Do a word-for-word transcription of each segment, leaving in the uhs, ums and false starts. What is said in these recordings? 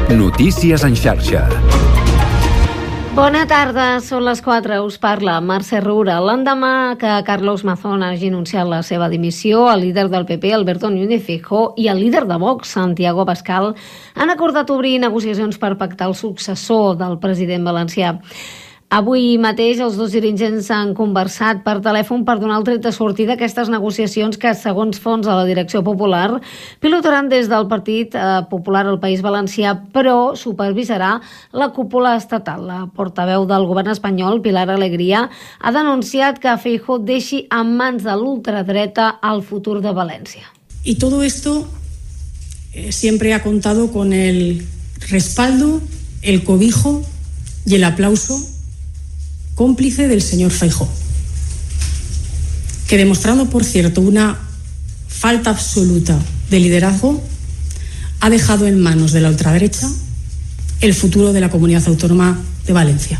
Notícies en xarxa. Bona tarda, són les quatre, us parla Mercè Roura. L'endemà que Carlos Mazón hagi anunciat la seva dimissió, el líder del P P, Alberto Núñez Feijóo, i el líder de Vox, Santiago Abascal, han acordat obrir negociacions per pactar el successor del president valencià. Avui mateix els dos dirigents han conversat per telèfon per donar el tret de sortida a aquestes negociacions que, segons fons de la direcció popular, pilotaran des del Partit Popular al País Valencià, però supervisarà la cúpula estatal. La portaveu del govern espanyol, Pilar Alegría, ha denunciat que Feijóo deixi en mans de l'ultradreta el futur de València. Y todo esto eh, siempre ha contado con el respaldo, el cobijo y el aplauso cómplice del señor Feijóo, que demostrando, por cierto, una falta absoluta de liderazgo, ha dejado en manos de la ultraderecha el futuro de la comunidad autónoma de Valencia.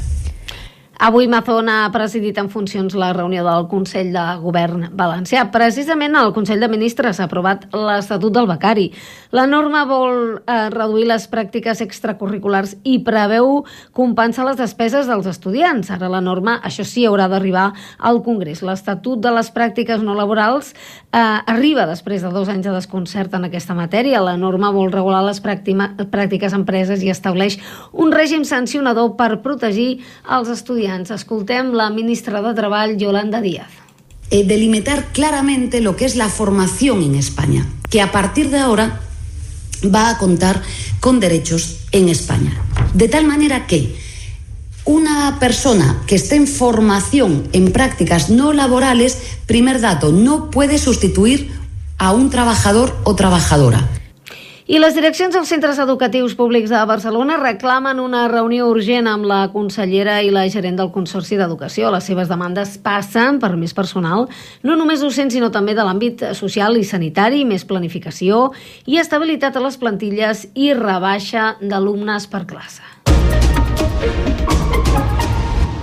Avui Mazón ha presidit en funcions la reunió del Consell de Govern valencià. Precisament el Consell de Ministres ha aprovat l'Estatut del Becari. La norma vol eh, reduir les pràctiques extracurriculars i preveu compensar les despeses dels estudiants. Ara la norma, això sí, haurà d'arribar al Congrés. L'Estatut de les pràctiques no laborals eh, arriba després de dos anys de desconcert en aquesta matèria. La norma vol regular les pràctiques empreses i estableix un règim sancionador per protegir els estudiants. Escoltem la ministra de Treball, Yolanda Díaz. Eh, delimitar claramente lo que es la formación en España, que a partir de ahora va a contar con derechos en España. De tal manera que una persona que esté en formación en prácticas no laborales, primer dato, no puede sustituir a un trabajador o trabajadora. I les direccions dels centres educatius públics de Barcelona reclamen una reunió urgent amb la consellera i la gerent del Consorci d'Educació. Les seves demandes passen per més personal, no només docent, sinó també de l'àmbit social i sanitari, més planificació i estabilitat a les plantilles i rebaixa d'alumnes per classe.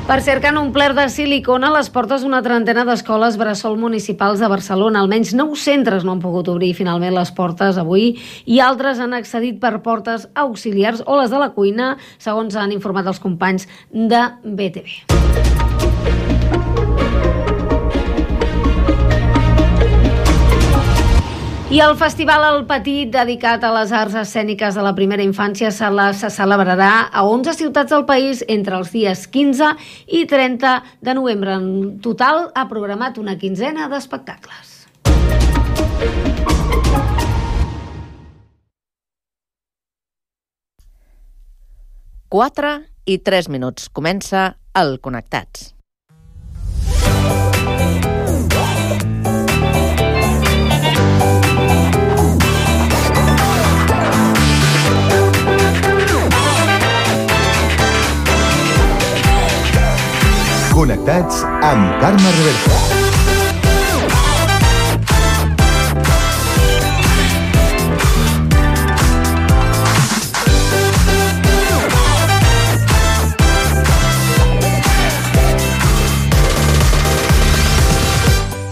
Per cert, que han omplert de silicona les portes d'una trentena d'escoles bressol municipals de Barcelona. Almenys nou centres no han pogut obrir finalment les portes avui i altres han accedit per portes auxiliars o les de la cuina, segons han informat els companys de B T V. I el Festival El Petit, dedicat a les arts escèniques de la primera infància, se, la, se celebrarà a onze ciutats del país entre els dies quinze i trenta de novembre. En total ha programat una quinzena d'espectacles. quatre i tres minuts. Comença el Connectats. Connectats amb Carme Reverte.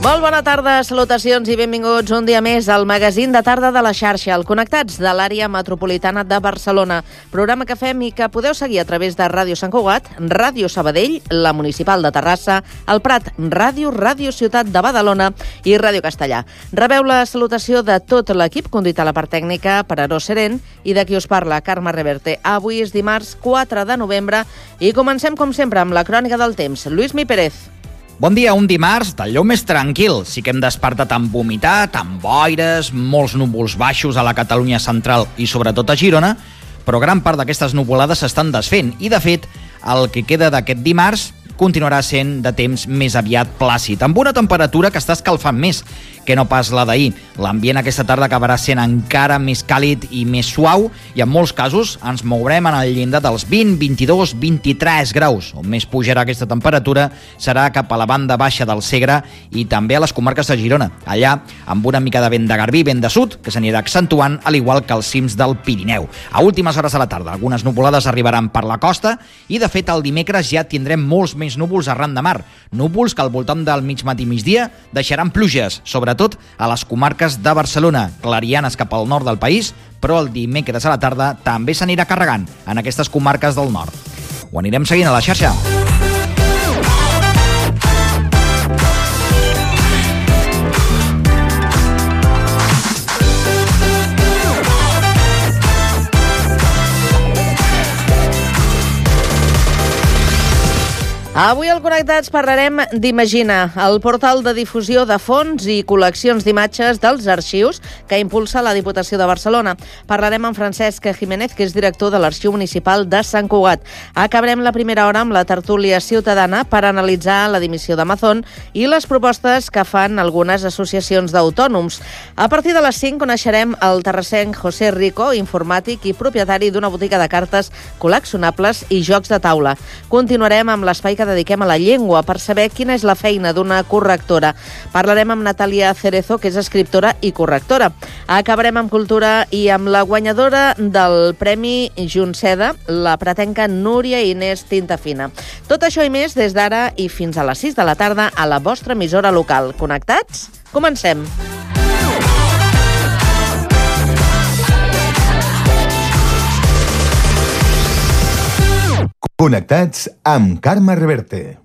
Molt bona tarda, salutacions i benvinguts un dia més al magazín de tarda de la xarxa, el Connectats de l'àrea metropolitana de Barcelona. Programa que fem i que podeu seguir a través de Ràdio Sant Cugat, Ràdio Sabadell, la Municipal de Terrassa, el Prat Ràdio, Ràdio Ciutat de Badalona i Ràdio Castellà. Rebeu la salutació de tot l'equip, conduït a la part tècnica per Aró Serent i de qui us parla, Carme Reverte. Avui és dimarts quatre de novembre i comencem com sempre amb la crònica del temps. Lluís Mi Pérez. Bon dia, un dimarts d'allò més tranquil. Sí que hem despertat amb humitat, amb boires, molts núvols baixos a la Catalunya central i sobretot a Girona, però gran part d'aquestes nuvolades s'estan desfent i, de fet, el que queda d'aquest dimarts continuarà sent de temps més aviat plàcid, amb una temperatura que està escalfant més que no pas la d'ahir. L'ambient aquesta tarda acabarà sent encara més càlid i més suau i en molts casos ens mourem en el llindar dels vint, vint-i-dos, vint-i-tres graus. On més pujarà aquesta temperatura serà cap a la banda baixa del Segre i també a les comarques de Girona. Allà, amb una mica de vent de garbí, vent de sud, que s'anirà accentuant, al igual que els cims del Pirineu. A últimes hores de la tarda, algunes nuvolades arribaran per la costa i, de fet, el dimecres ja tindrem molts més núvols arran de mar. Núvols que al voltant del mig matí migdia deixaran pluges, sobre sobretot a les comarques de Barcelona, clarianes cap al nord del país, però el dimecres a la tarda també s'anirà carregant en aquestes comarques del nord. Ho anirem seguint a la xarxa. Avui al Connectats parlarem d'Imagina, el portal de difusió de fons i col·leccions d'imatges dels arxius que impulsa la Diputació de Barcelona. Parlarem amb Francesc Jiménez, que és director de l'Arxiu Municipal de Sant Cugat. Acabarem la primera hora amb la tertúlia ciutadana per analitzar la dimissió d'Amazon i les propostes que fan algunes associacions d'autònoms. A partir de les cinc coneixerem el terrassenc José Rico, informàtic i propietari d'una botiga de cartes col·leccionables i jocs de taula. Continuarem amb l'espai que dediquem a la llengua per saber quina és la feina d'una correctora. Parlarem amb Natàlia Cerezo, que és escriptora i correctora. Acabarem amb cultura i amb la guanyadora del Premi Junceda, la pretenca Núria Inés Tintafina. Tot això i més des d'ara i fins a les sis de la tarda a la vostra emissora local. Connectats? Comencem! Connectats amb Carme Reverte.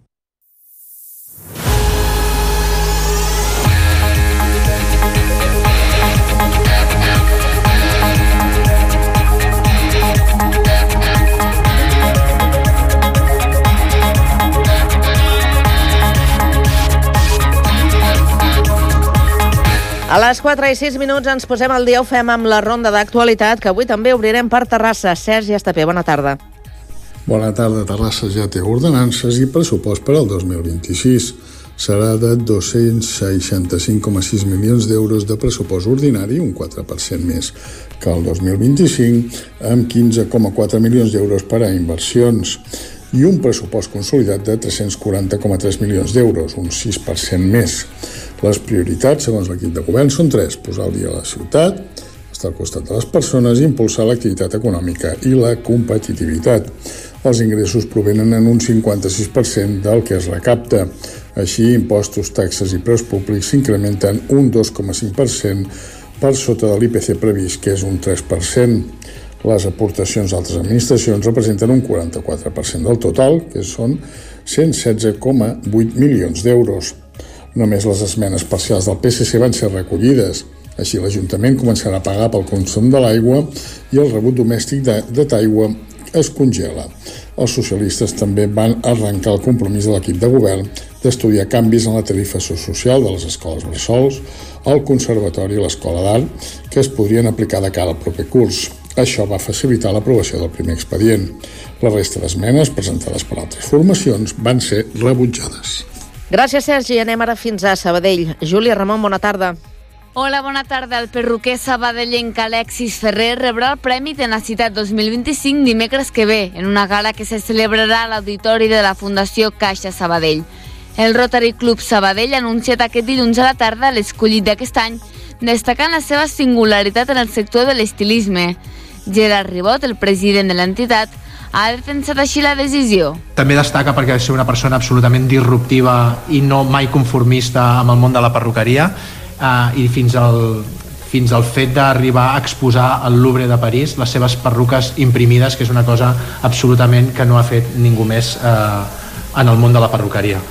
A les quatre i sis minuts ens posem al dia, ho fem amb la ronda d'actualitat, que avui també obrirem per Terrassa. Sergi Estapé, bona tarda. Bona tarda. Terrassa ja té ordenances i pressupost per al dos mil vint-i-sis. Serà de dos-cents seixanta-cinc coma sis milions d'euros de pressupost ordinari, un quatre per cent més que el dos mil vint-i-cinc, amb quinze coma quatre milions d'euros per a inversions i un pressupost consolidat de tres-cents quaranta coma tres milions d'euros, un sis per cent més. Les prioritats, segons l'equip de govern, són tres: posar al dia a la ciutat, estar al costat de les persones i impulsar l'activitat econòmica i la competitivitat. Els ingressos provenen en un cinquanta-sis per cent del que es recapta. Així, impostos, taxes i preus públics s'incrementen un dos coma cinc per cent per sota de l'I P C previst, que és un tres per cent. Les aportacions d'altres administracions representen un quaranta-quatre per cent del total, que són cent setze coma vuit milions d'euros. Només les esmenes parcials del P S C van ser recollides. Així, l'Ajuntament començarà a pagar pel consum de l'aigua i el rebut domèstic de, de d'aigua es congela. Els socialistes també van arrencar el compromís de l'equip de govern d'estudiar canvis en la tarifa social de les escoles bressols, el conservatori i l'escola d'art, que es podrien aplicar de cara al proper curs. Això va facilitar l'aprovació del primer expedient. La resta d'esmenes presentades per altres formacions van ser rebutjades. Gràcies, Sergi. Anem ara fins a Sabadell. Júlia Ramon, bona tarda. Hola, bona tarda. El perruquer sabadellenc Alexis Ferrer rebrà el Premi Tenacitat dos mil vint-i-cinc dimecres que ve, en una gala que se celebrarà a l'auditori de la Fundació Caixa Sabadell. El Rotary Club Sabadell ha anunciat aquest dilluns a la tarda l'escollit d'aquest any, destacant la seva singularitat en el sector de l'estilisme. Gerard Ribot, el president de l'entitat, ha defensat així la decisió. També destaca perquè és una persona absolutament disruptiva i no mai conformista amb el món de la perruqueria, Uh, i fins al, fins al fet d'arribar a exposar al Louvre de París les seves perruques imprimides, que és una cosa absolutament que no ha fet ningú més uh, en el món de la perruqueria.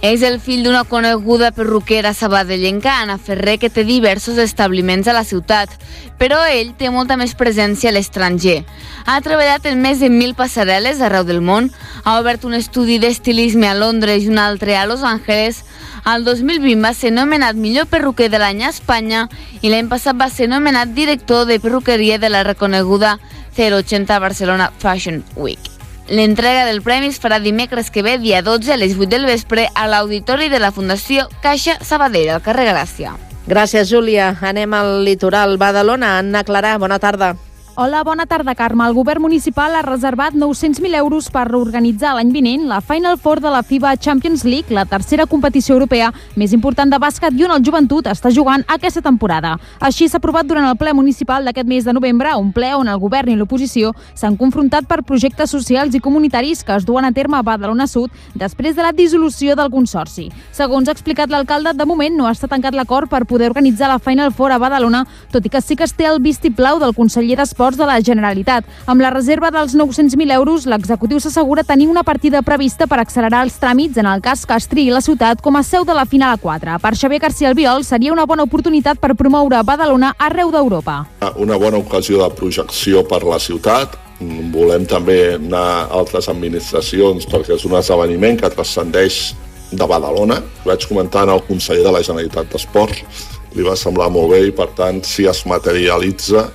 És el fill d'una coneguda perruquera sabadellenca, Anna Ferrer, que té diversos establiments a la ciutat, però ell té molta més presència a l'estranger. Ha treballat en més de mil passarel·les arreu del món, ha obert un estudi d'estilisme a Londres i un altre a Los Angeles. El dos mil vint va ser nomenat millor perruquer de l'any a Espanya i l'any passat va ser nomenat director de perruqueria de la reconeguda zero ochenta Barcelona Fashion Week. L'entrega del premi es farà dimecres que ve, dia dotze, a les vuit del vespre, a l'auditori de la Fundació Caixa Sabadell, al carrer Gràcia. Gràcies, Júlia. Anem al litoral. Badalona. Anna Clarà, bona tarda. Hola, bona tarda, Carme. El govern municipal ha reservat nou-cents mil euros per reorganitzar l'any vinent la Final Four de la FIBA Champions League, la tercera competició europea més important de bàsquet i on el Joventut està jugant aquesta temporada. Així s'ha aprovat durant el ple municipal d'aquest mes de novembre, un ple on el govern i l'oposició s'han confrontat per projectes socials i comunitaris que es duen a terme a Badalona Sud després de la dissolució del consorci. Segons ha explicat l'alcalde, de moment no està tancat l'acord per poder organitzar la Final Four a Badalona, tot i que sí que es té el vistiplau del conseller d'Esports de la Generalitat. Amb la reserva dels nou-cents mil euros, l'executiu s'assegura tenir una partida prevista per accelerar els tràmits en el cas que es triï la ciutat com a seu de la Final a quatre. Per Xavier García Albiol seria una bona oportunitat per promoure Badalona arreu d'Europa. Una bona ocasió de projecció per la ciutat. Volem també anar a altres administracions perquè és un esdeveniment que transcendeix de Badalona. Vaig comentar al conseller de la Generalitat d'Esports, li va semblar molt bé i per tant si es materialitza,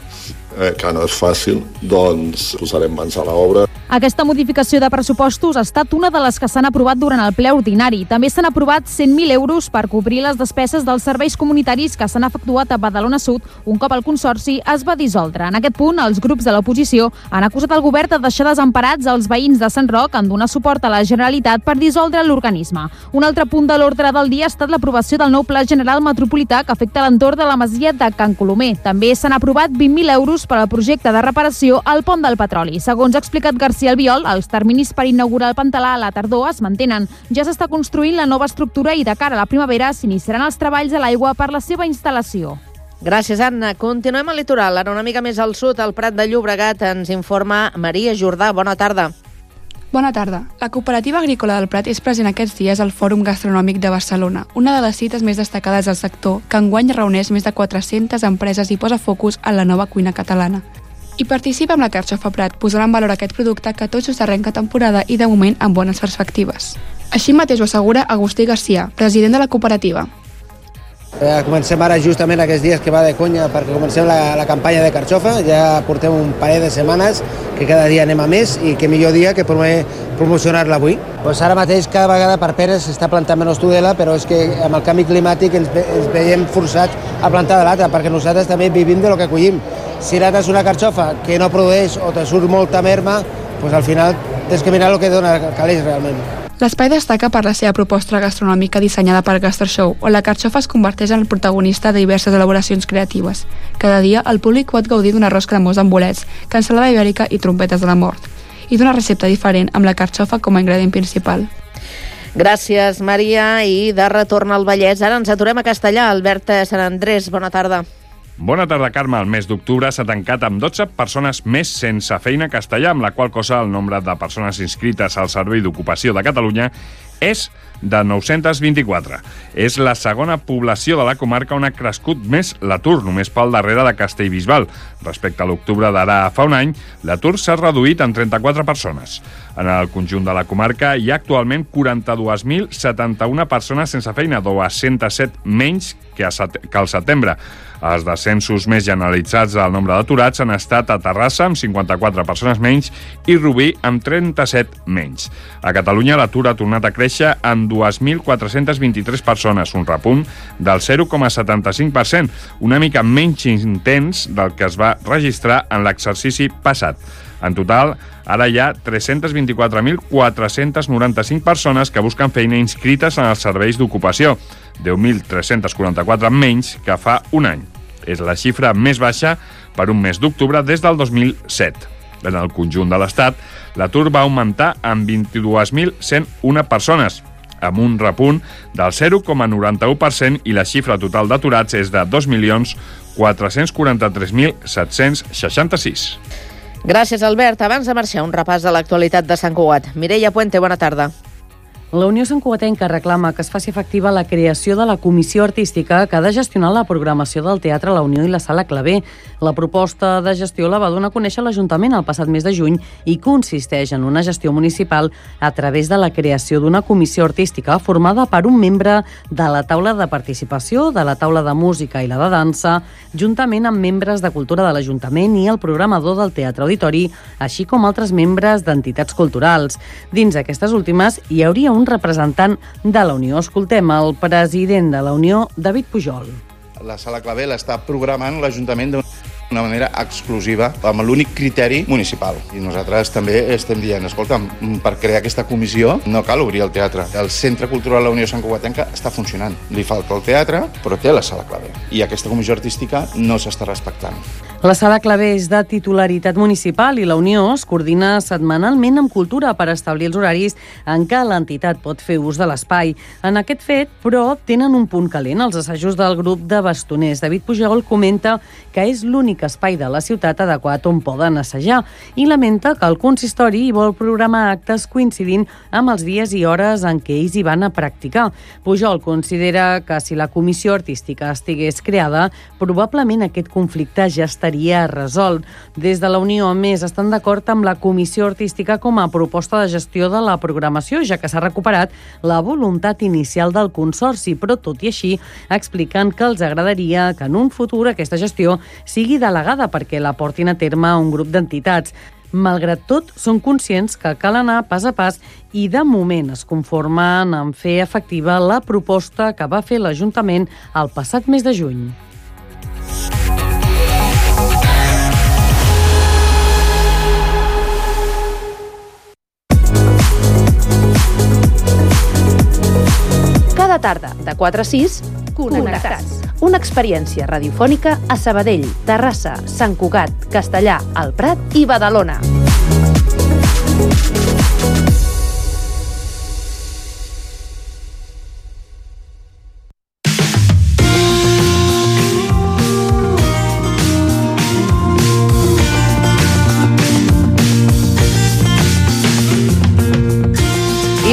Eh, que no és fàcil, doncs posarem mans a l'obra. Aquesta modificació de pressupostos ha estat una de les que s'han aprovat durant el ple ordinari. També s'han aprovat cent mil euros per cobrir les despeses dels serveis comunitaris que s'han efectuat a Badalona Sud un cop el consorci es va dissoldre. En aquest punt, els grups de l'oposició han acusat el govern de deixar desemparats els veïns de Sant Roc en donar suport a la Generalitat per dissoldre l'organisme. Un altre punt de l'ordre del dia ha estat l'aprovació del nou Pla General Metropolità que afecta l'entorn de la masia de Can Colomer. També s'han aprovat vint mil euros per al projecte de reparació al Pont del Petroli. Segons ha explicat García Albiol, els terminis per inaugurar el Pantalà a la tardor es mantenen. Ja s'està construint la nova estructura i de cara a la primavera s'iniciaran els treballs a l'aigua per la seva instal·lació. Gràcies, Anna. Continuem al litoral. Ara una mica més al sud, al Prat de Llobregat, ens informa Maria Jordà. Bona tarda. Bona tarda. La Cooperativa Agrícola del Prat és present aquests dies al Fòrum Gastronòmic de Barcelona, una de les cites més destacades del sector, que enguany reuneix més de quatre-centes empreses i posa focus en la nova cuina catalana. I participa amb la Carxofa Prat, posant en valor aquest producte que tot just arrenca temporada i de moment amb bones perspectives. Així mateix ho assegura Agustí Garcia, president de la cooperativa. Eh, comencem ara justament aquests dies que va de conya perquè comencem la, la campanya de Carxofa, ja portem un parell de setmanes que cada dia anem a més i que millor dia que promocionar-la avui. Pues ara mateix cada vegada per peres s'està plantant menys tudela, però és que amb el canvi climàtic ens, ens veiem forçats a plantar de l'altre perquè nosaltres també vivim de lo que collim. Si ara és una carxofa que no produeix o te surt molta merma, pues al final tens que mirar el que dona calés realment. L'espai destaca per la seva proposta gastronòmica dissenyada per Gastroshow, on la carxofa es converteix en el protagonista de diverses elaboracions creatives. Cada dia el públic pot gaudir d'un arròs cremós amb bolets, cansalada ibèrica i trompetes de la mort, i d'una recepta diferent amb la carxofa com a ingredient principal. Gràcies, Maria. I de retorn al Vallès, ara ens aturem a Castellà. Albert Sant Andrés, bona tarda. Bona tarda, Carme. El mes d'octubre s'ha tancat amb dotze persones més sense feina a Castellà, amb la qual cosa el nombre de persones inscrites al Servei d'Ocupació de Catalunya és de nou-cents vint-i-quatre. És la segona població de la comarca on ha crescut més l'atur, només pel darrere de Castellbisbal. Respecte a l'octubre d'ara fa un any, l'atur s'ha reduït en trenta-quatre persones. En el conjunt de la comarca hi ha actualment quaranta-dos mil setanta-una persones sense feina, dos-cents set menys que al setembre. Els descensos més generalitzats del nombre d'aturats han estat a Terrassa, amb cinquanta-quatre persones menys, i Rubí, amb trenta-set menys. A Catalunya l'atur ha tornat a créixer en dos mil quatre-cents vint-i-tres persones, un repunt del zero coma setanta-cinc per cent, una mica menys intens del que es va registrar en l'exercici passat. En total, ara hi ha tres-cents vint-i-quatre mil quatre-cents noranta-cinc persones que busquen feina inscrites en els serveis d'ocupació, deu mil tres-cents quaranta-quatre menys que fa un any. És la xifra més baixa per un mes d'octubre des del dos mil set. En el conjunt de l'Estat, l'atur va augmentar en vint-i-dos mil cent u persones, amb un repunt del zero coma noranta-u per cent, i la xifra total d'aturats és de dos milions quatre-cents quaranta-tres mil set-cents seixanta-sis. Gràcies, Albert. Abans de marxar, un repàs de l'actualitat de Sant Cugat. Mireia Puente, bona tarda. La Unió Santcugatenca reclama que es faci efectiva la creació de la comissió artística que ha de gestionar la programació del Teatre La Unió i la Sala Clavé. La proposta de gestió la va donar a conèixer l'Ajuntament el passat mes de juny i consisteix en una gestió municipal a través de la creació d'una comissió artística formada per un membre de la taula de participació, de la taula de música i la de dansa, juntament amb membres de cultura de l'Ajuntament i el programador del Teatre Auditori, així com altres membres d'entitats culturals. Dins aquestes últimes hi hauria un representant de la Unió. Escoltem el president de la Unió, David Pujol. La Sala Clavé l'està programant l'Ajuntament de... d'una manera exclusiva, amb l'únic criteri municipal. I nosaltres també estem dient, escolta, per crear aquesta comissió no cal obrir el teatre. El Centre Cultural La Unió Sant Cugatenca està funcionant. Li falta el teatre, però té la sala clave. I aquesta comissió artística no s'està respectant. La sala clave és de titularitat municipal i la Unió es coordina setmanalment amb Cultura per establir els horaris en què l'entitat pot fer ús de l'espai. En aquest fet, però, tenen un punt calent els assajos del grup de bastoners. David Pujol comenta que és l'únic espai de la ciutat adequat on poden assajar i lamenta que el consistori hi vol programar actes coincidint amb els dies i hores en què ells hi van a practicar. Pujol considera que si la comissió artística estigués creada, probablement aquest conflicte ja estaria resolt. Des de la Unió, a més, estan d'acord amb la comissió artística com a proposta de gestió de la programació, ja que s'ha recuperat la voluntat inicial del consorci, però tot i així expliquen que els agradaria que en un futur aquesta gestió sigui delegada perquè la portin a terme un grup d'entitats. Malgrat tot, són conscients que cal anar pas a pas i de moment es conformen en fer efectiva la proposta que va fer l'Ajuntament el passat mes de juny. Cada tarda, de quatre a sis, Connectats. Una experiència radiofònica a Sabadell, Terrassa, Sant Cugat, Castellà, El Prat i Badalona.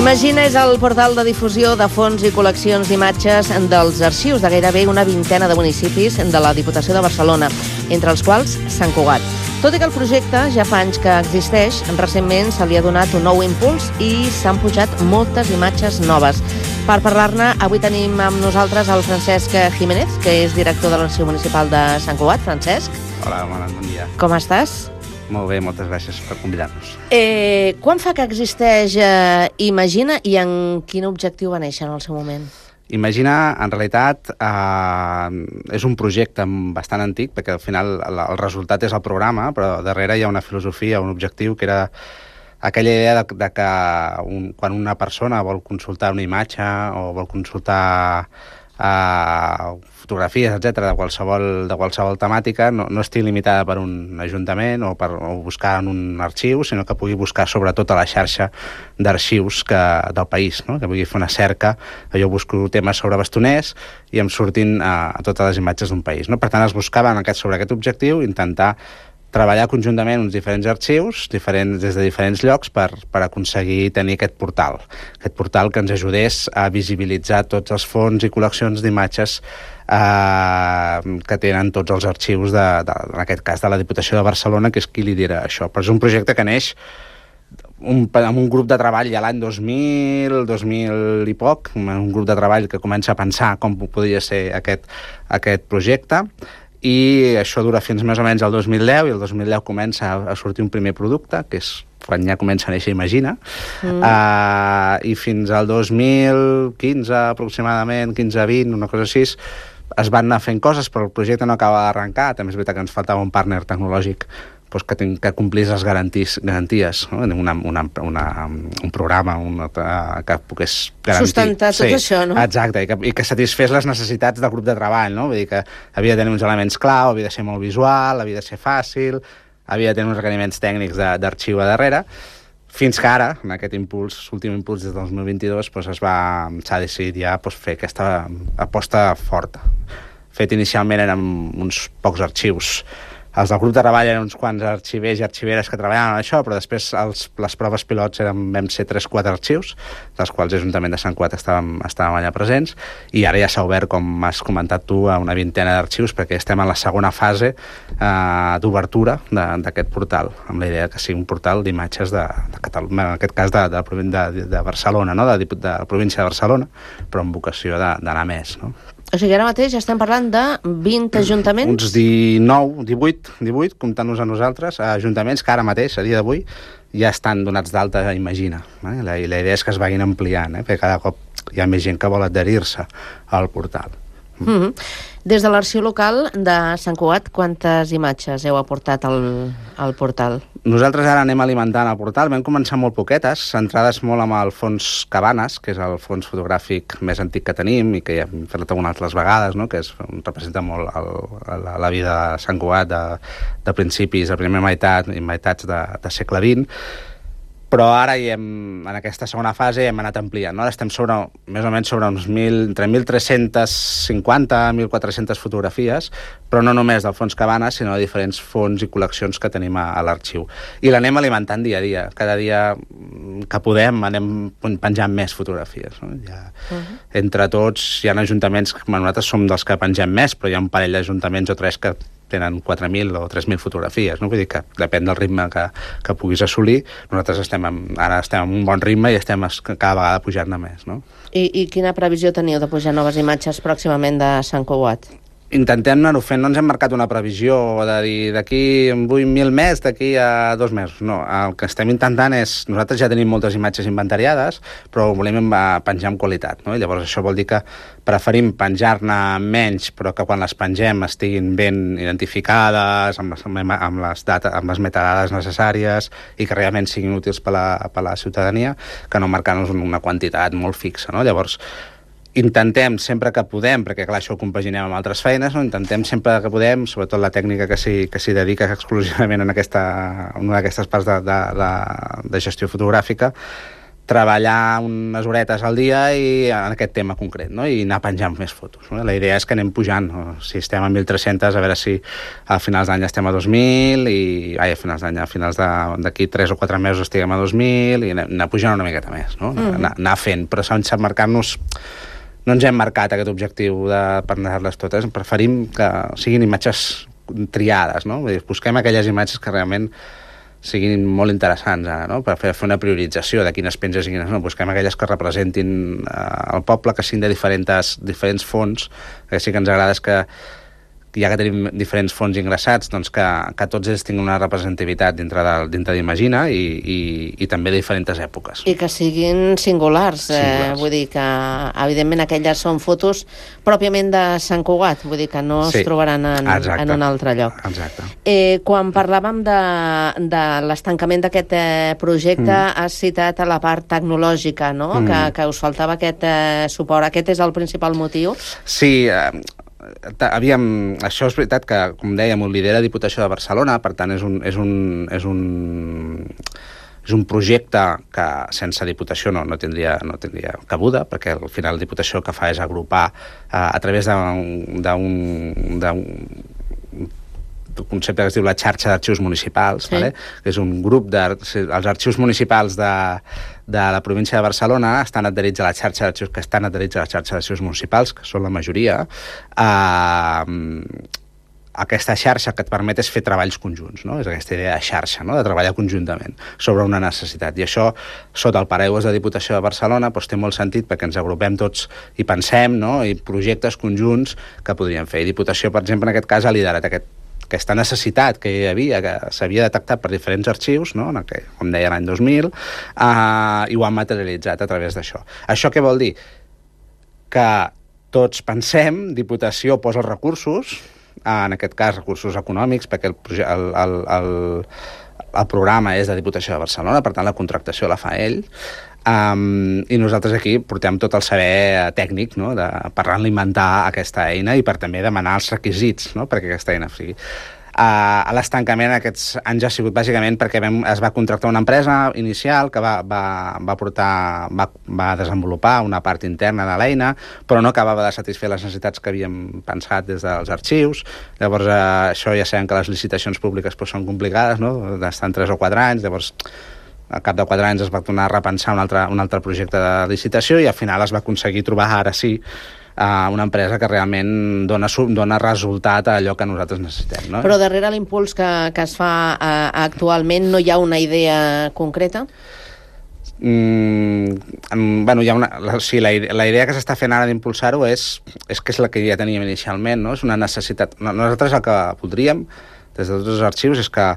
Imagina és el portal de difusió de fons i col·leccions d'imatges dels arxius de gairebé una vintena de municipis de la Diputació de Barcelona, entre els quals Sant Cugat. Tot i que el projecte ja fa anys que existeix, recentment se li ha donat un nou impuls i s'han pujat moltes imatges noves. Per parlar-ne, avui tenim amb nosaltres el Francesc Jiménez, que és director de l'Arxiu Municipal de Sant Cugat. Francesc. Hola, bon dia. Com estàs? Molt bé, moltes gràcies per convidar-nos. Eh, quan fa que existeix eh, Imagina i en quin objectiu va néixer en el seu moment? Imagina, en realitat, eh, és un projecte bastant antic, perquè al final el, el resultat és el programa, però darrere hi ha una filosofia, un objectiu que era aquella idea de, de que un, quan una persona vol consultar una imatge o vol consultar Uh, fotografies, etcètera, de qualsevol, de qualsevol temàtica, no, no estigui limitada per un ajuntament o per o buscar en un arxiu, sinó que pugui buscar sobretot a la xarxa d'arxius que, del país, no? Que pugui fer una cerca. Jo busco temes sobre bastoners i em surtin uh, totes les imatges d'un país, no? Per tant, es buscava en aquest, sobre aquest objectiu intentar treballar conjuntament uns diferents arxius diferents, des de diferents llocs per, per aconseguir tenir aquest portal. Aquest portal que ens ajudés a visibilitzar tots els fons i col·leccions d'imatges eh, que tenen tots els arxius, de, de, en aquest cas de la Diputació de Barcelona, que és qui lidera això. Però és un projecte que neix un, amb un grup de treball ja l'any dos mil, dos mil i poc, un grup de treball que comença a pensar com podria ser aquest, aquest projecte, i això dura fins més o menys el dos mil deu, i el dos mil deu comença a sortir un primer producte, que és quan ja comença a néixer Imagina, mm. uh, i fins al dos mil quinze aproximadament, quinze vint, una cosa així, es van anar fent coses, però el projecte no acaba d'arrencar. També és veritat que ens faltava un partner tecnològic doncs, que, ten, que complís les garanties, garanties no? una, una, una, un programa una, que pogués garantir... Sustentar tot sí, això, no? Exacte, i que, i que satisfés les necessitats del grup de treball, no? Vull dir que havia de tenir uns elements clau, havia de ser molt visual, havia de ser fàcil, havia de tenir uns requeriments tècnics d'arxiu a darrere, fins que ara, en aquest impuls, últim impuls des del dos mil vint-i-dos, doncs es va, s'ha decidit ja doncs, fer aquesta aposta forta. Fet inicialment eren uns pocs arxius. Els del grup de treball eren uns quants arxivers i arxiveres que treballaven en això, però després els, les proves pilots eren, vam ser tres o quatre arxius, dels quals l'Ajuntament de Sant Cugat estàvem, estàvem allà presents, i ara ja s'ha obert, com has comentat tu, a una vintena d'arxius, perquè estem en la segona fase eh, d'obertura d'aquest portal, amb la idea que sigui un portal d'imatges de, de Catalunya, en aquest cas de, de, de, de Barcelona, no? de, de, de la província de Barcelona, però amb vocació d'anar més, no? O sigui, ara mateix estem parlant de vint ajuntaments? Uns dinou, divuit, divuit, comptant-nos a nosaltres, ajuntaments que ara mateix, a dia d'avui, ja estan donats d'alta a Imagina. Eh? I la idea és que es vagin ampliant, eh? Perquè cada cop hi ha més gent que vol adherir-se al portal. Mm-hmm. Des de l'arxiu local de Sant Cugat, quantes imatges heu aportat al, al portal? Nosaltres ara anem alimentant el portal. Vam començar molt poquetes, centrades molt amb el fons Cabanes, que és el fons fotogràfic més antic que tenim i que ja hem fet algunes altres vegades, no? Que és, representa molt el, la, la vida de Sant Cugat de, de principis, de primera meitat i meitats de, de segle vint. Però ara hi hem, en aquesta segona fase hem anat ampliant, no? Ara estem sobre, més o menys sobre uns mil, entre mil tres-cents cinquanta i mil quatre-cents fotografies, però no només del fons Cabanes, sinó de diferents fons i col·leccions que tenim a, a l'arxiu. I l'anem alimentant dia a dia. Cada dia que podem anem penjant més fotografies. No? Ja, uh-huh. Entre tots hi ha ajuntaments, nosaltres som dels que pengem més, però hi ha un parell d'ajuntaments o tres que tenen quatre mil o tres mil fotografies, no? Vull dir que depèn del ritme que, que puguis assolir. Nosaltres estem en, ara estem en un bon ritme i estem cada vegada pujant-ne més, no? I, I quina previsió teniu de pujar noves imatges pròximament de Sant Cugat? Intentem anar-ho fent, no ens hem marcat una previsió de dir d'aquí vull mil més, d'aquí a dos mesos. No, el que estem intentant és... Nosaltres ja tenim moltes imatges inventariades, però volem penjar amb qualitat, no? I llavors això vol dir que preferim penjar-ne menys, però que quan les pengem estiguin ben identificades, amb les, amb les, data, amb les metadades necessàries i que realment siguin útils per la, per la ciutadania, que no marcar-nos una quantitat molt fixa, no? Llavors, intentem sempre que podem, perquè clar, això ho compaginem amb altres feines, no? Intentem sempre que podem, sobretot la tècnica que s'hi que s'hi dedica exclusivament en, aquesta, en una d'aquestes parts de, de, de, de gestió fotogràfica, treballar unes horetes al dia i en aquest tema concret, no? I anar penjant més fotos. No? La idea és que anem pujant, no? Si estem a mil tres-cents, a veure si a finals d'any estem a dos mil i ai, a finals d'any, a finals d'aquí tres o quatre mesos estiguem a dos mil i anar pujant una miqueta més, no? Mm. Anar, anar fent, però sense marcar-nos... No ens hem marcat aquest objectiu de per anar-les totes, preferim que siguin imatges triades, no? Vull dir, busquem aquelles imatges que realment siguin molt interessants, no? Per fer, fer una priorització de quines penges i quines no. Busquem aquelles que representin eh, el poble, que siguin de diferents, diferents fons, que sí que ens agrada és que ja que tenim diferents fons ingressats, doncs que, que tots ells tinguin una representativitat dintre d'Imagina i, i, i també de diferents èpoques. I que siguin singulars. singulars. Eh, vull dir que, evidentment, aquelles són fotos pròpiament de Sant Cugat, vull dir que no sí. es trobaran en, en un altre lloc. Exacte. Eh, quan parlàvem de, de l'estancament d'aquest eh, projecte, mm. has citat a la part tecnològica, no? Mm. Que, que us faltava aquest eh, suport. Aquest és el principal motiu? Sí, eh, havíem, això és veritat que, com dèiem, ho lidera Diputació de Barcelona, per tant és un, és un, és un, és un projecte que sense Diputació no, no, tindria, no tindria cabuda, perquè al final la Diputació el que fa és agrupar eh, a través d'un concepte que es diu la xarxa d'arxius municipals, sí. Vale? Que és un grup de... Els arxius municipals de, de la província de Barcelona estan adherits a la xarxa d'arxius, que estan adherits a la xarxa d'arxius municipals, que són la majoria. Eh, aquesta xarxa que et permet és fer treballs conjunts, no? És aquesta idea de xarxa, no? De treballar conjuntament sobre una necessitat. I això, sota el paraigües de Diputació de Barcelona, doncs té molt sentit perquè ens agrupem tots i pensem, no? I projectes conjunts que podríem fer. I Diputació, per exemple, en aquest cas, ha liderat aquest aquesta necessitat que hi havia, que s'havia detectat per diferents arxius, no? En el que, com deia, l'any dos mil, eh, i ho han materialitzat a través d'això. Això què vol dir? Que tots pensem, Diputació posa els recursos, en aquest cas recursos econòmics, perquè el, el, el, el, el programa és de Diputació de Barcelona, per tant la contractació la fa ell, Um, i nosaltres aquí portem tot el saber tècnic, no? De, per alimentar aquesta eina i per també demanar els requisits, no? Perquè aquesta eina sigui. Uh, l'estancament aquests anys ha sigut bàsicament perquè vam, es va contractar una empresa inicial que va, va, va, portar, va, va desenvolupar una part interna de l'eina, però no acabava de satisfer les necessitats que havíem pensat des dels arxius. Llavors, uh, això ja sabem que les licitacions públiques pues, són complicades, no? Estan tres o quatre anys, llavors al cap de quatre anys es va tornar a repensar un altre, un altre projecte de licitació i al final es va aconseguir trobar ara sí una empresa que realment dona, dona resultat a allò que nosaltres necessitem. No? Però darrere l'impuls que, que es fa uh, actualment no hi ha una idea concreta? Mm, bueno, hi ha una, la, sí, la, la idea que s'està fent ara d'impulsar-ho és, és que és la que ja teníem inicialment, no? És una necessitat. Nosaltres el que voldríem des de tots els arxius és que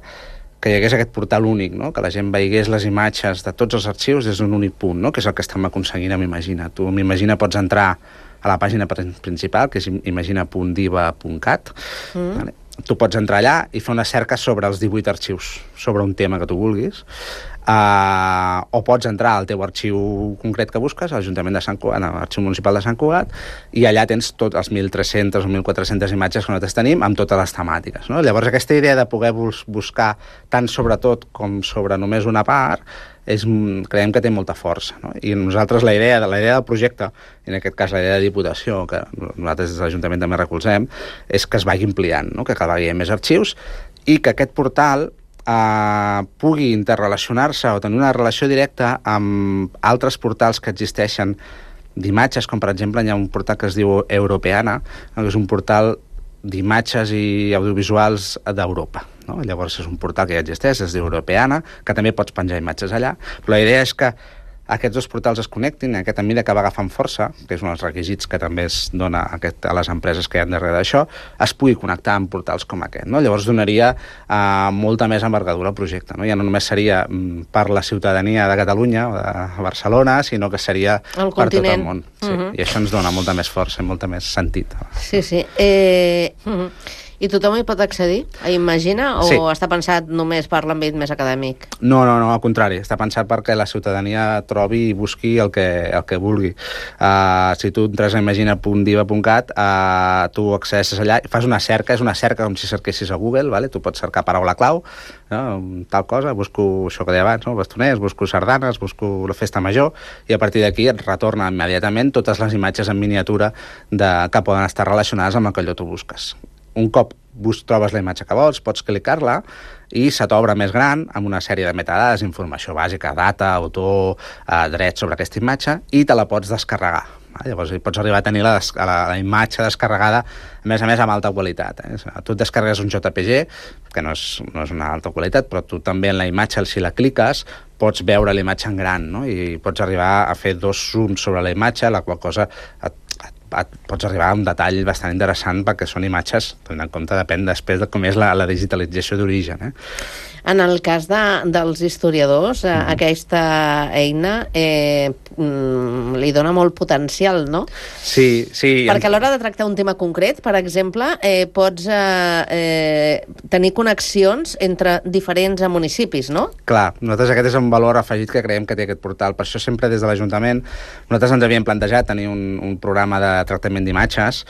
que hi hagués aquest portal únic, no? Que la gent veigués les imatges de tots els arxius des d'un únic punt, no? Que és el que estem aconseguint amb Imagina. Tu amb Imagina pots entrar a la pàgina principal, que és imagina punt diva punt cat. Mm. Vale? Tu pots entrar allà i fer una cerca sobre els divuit arxius, sobre un tema que tu vulguis, uh, o pots entrar al teu arxiu concret que busques, a l'Ajuntament de Sant Cugat, a l'Arxiu Municipal de Sant Cugat, i allà tens tots els mil tres-centes o mil quatre-centes imatges que nosaltres tenim amb totes les temàtiques. No? Llavors, aquesta idea de poder bus buscar tant sobre tot com sobre només una part, és, creiem que té molta força. No? I nosaltres la idea, la idea del projecte, en aquest cas la idea de Diputació, que nosaltres des de l'Ajuntament també recolzem, és que es vagi ampliant, no? Que cada vegada hi ha més arxius i que aquest portal eh, pugui interrelacionar-se o tenir una relació directa amb altres portals que existeixen d'imatges, com per exemple hi ha un portal que es diu Europeana, que és un portal d'imatges i audiovisuals d'Europa. No? Llavors és un portal que ja existeix, es diu Europeana, que també pots penjar imatges allà, però la idea és que aquests dos portals es connectin, en aquesta mida que va agafant força, que és un dels requisits que també es dona a, aquest, a les empreses que hi ha darrere d'això, es pugui connectar amb portals com aquest. No? Llavors donaria uh, molta més envergadura al projecte. No? Ja no només seria um, per la ciutadania de Catalunya o de Barcelona, sinó que seria el per continent. tot el món. Sí. Uh-huh. I això ens dona molta més força i molta més sentit. Sí, sí. Eh... Uh-huh. I tothom hi pot accedir a Imagina o sí. Està pensat només per l'àmbit més acadèmic? No, no, no, al contrari. Està pensat perquè la ciutadania trobi i busqui el que, el que vulgui. Uh, si tu entres a imagina punt diva punt cat, uh, tu accesses allà, fas una cerca, és una cerca com si cerquessis a Google, vale? Tu pots cercar paraula clau, no? Tal cosa, busco això que deia abans, no? Bastoners, busco sardanes, busco la festa major, i a partir d'aquí et retorna immediatament totes les imatges en miniatura de, que poden estar relacionades amb el que allò tu busques. Un cop bus, trobes la imatge que vols, pots clicar-la i se t'obre més gran amb una sèrie de metadades, informació bàsica, data, autor, eh, drets sobre aquesta imatge, i te la pots descarregar. Llavors pots arribar a tenir la, la, la imatge descarregada, a més a més amb alta qualitat. Eh? Tu et descarregues un J P G, que no és, no és una alta qualitat, però tu també en la imatge, si la cliques, pots veure la imatge en gran, no? I pots arribar a fer dos zooms sobre la imatge, la qual cosa et, et, et pots arribar a un detall bastant interessant perquè són imatges, tenint en compte, depèn després de com és la, la digitalització d'origen. Eh? En el cas de, dels historiadors, eh, mm. aquesta eina eh, li dona molt potencial, no? Sí, sí. Perquè a l'hora de tractar un tema concret, per exemple, eh, pots eh, eh, tenir connexions entre diferents municipis, no? Clar, nosaltres aquest és un valor afegit que creiem que té aquest portal. Per això sempre des de l'Ajuntament nosaltres ens havíem plantejat tenir un, un programa de tractament d'imatges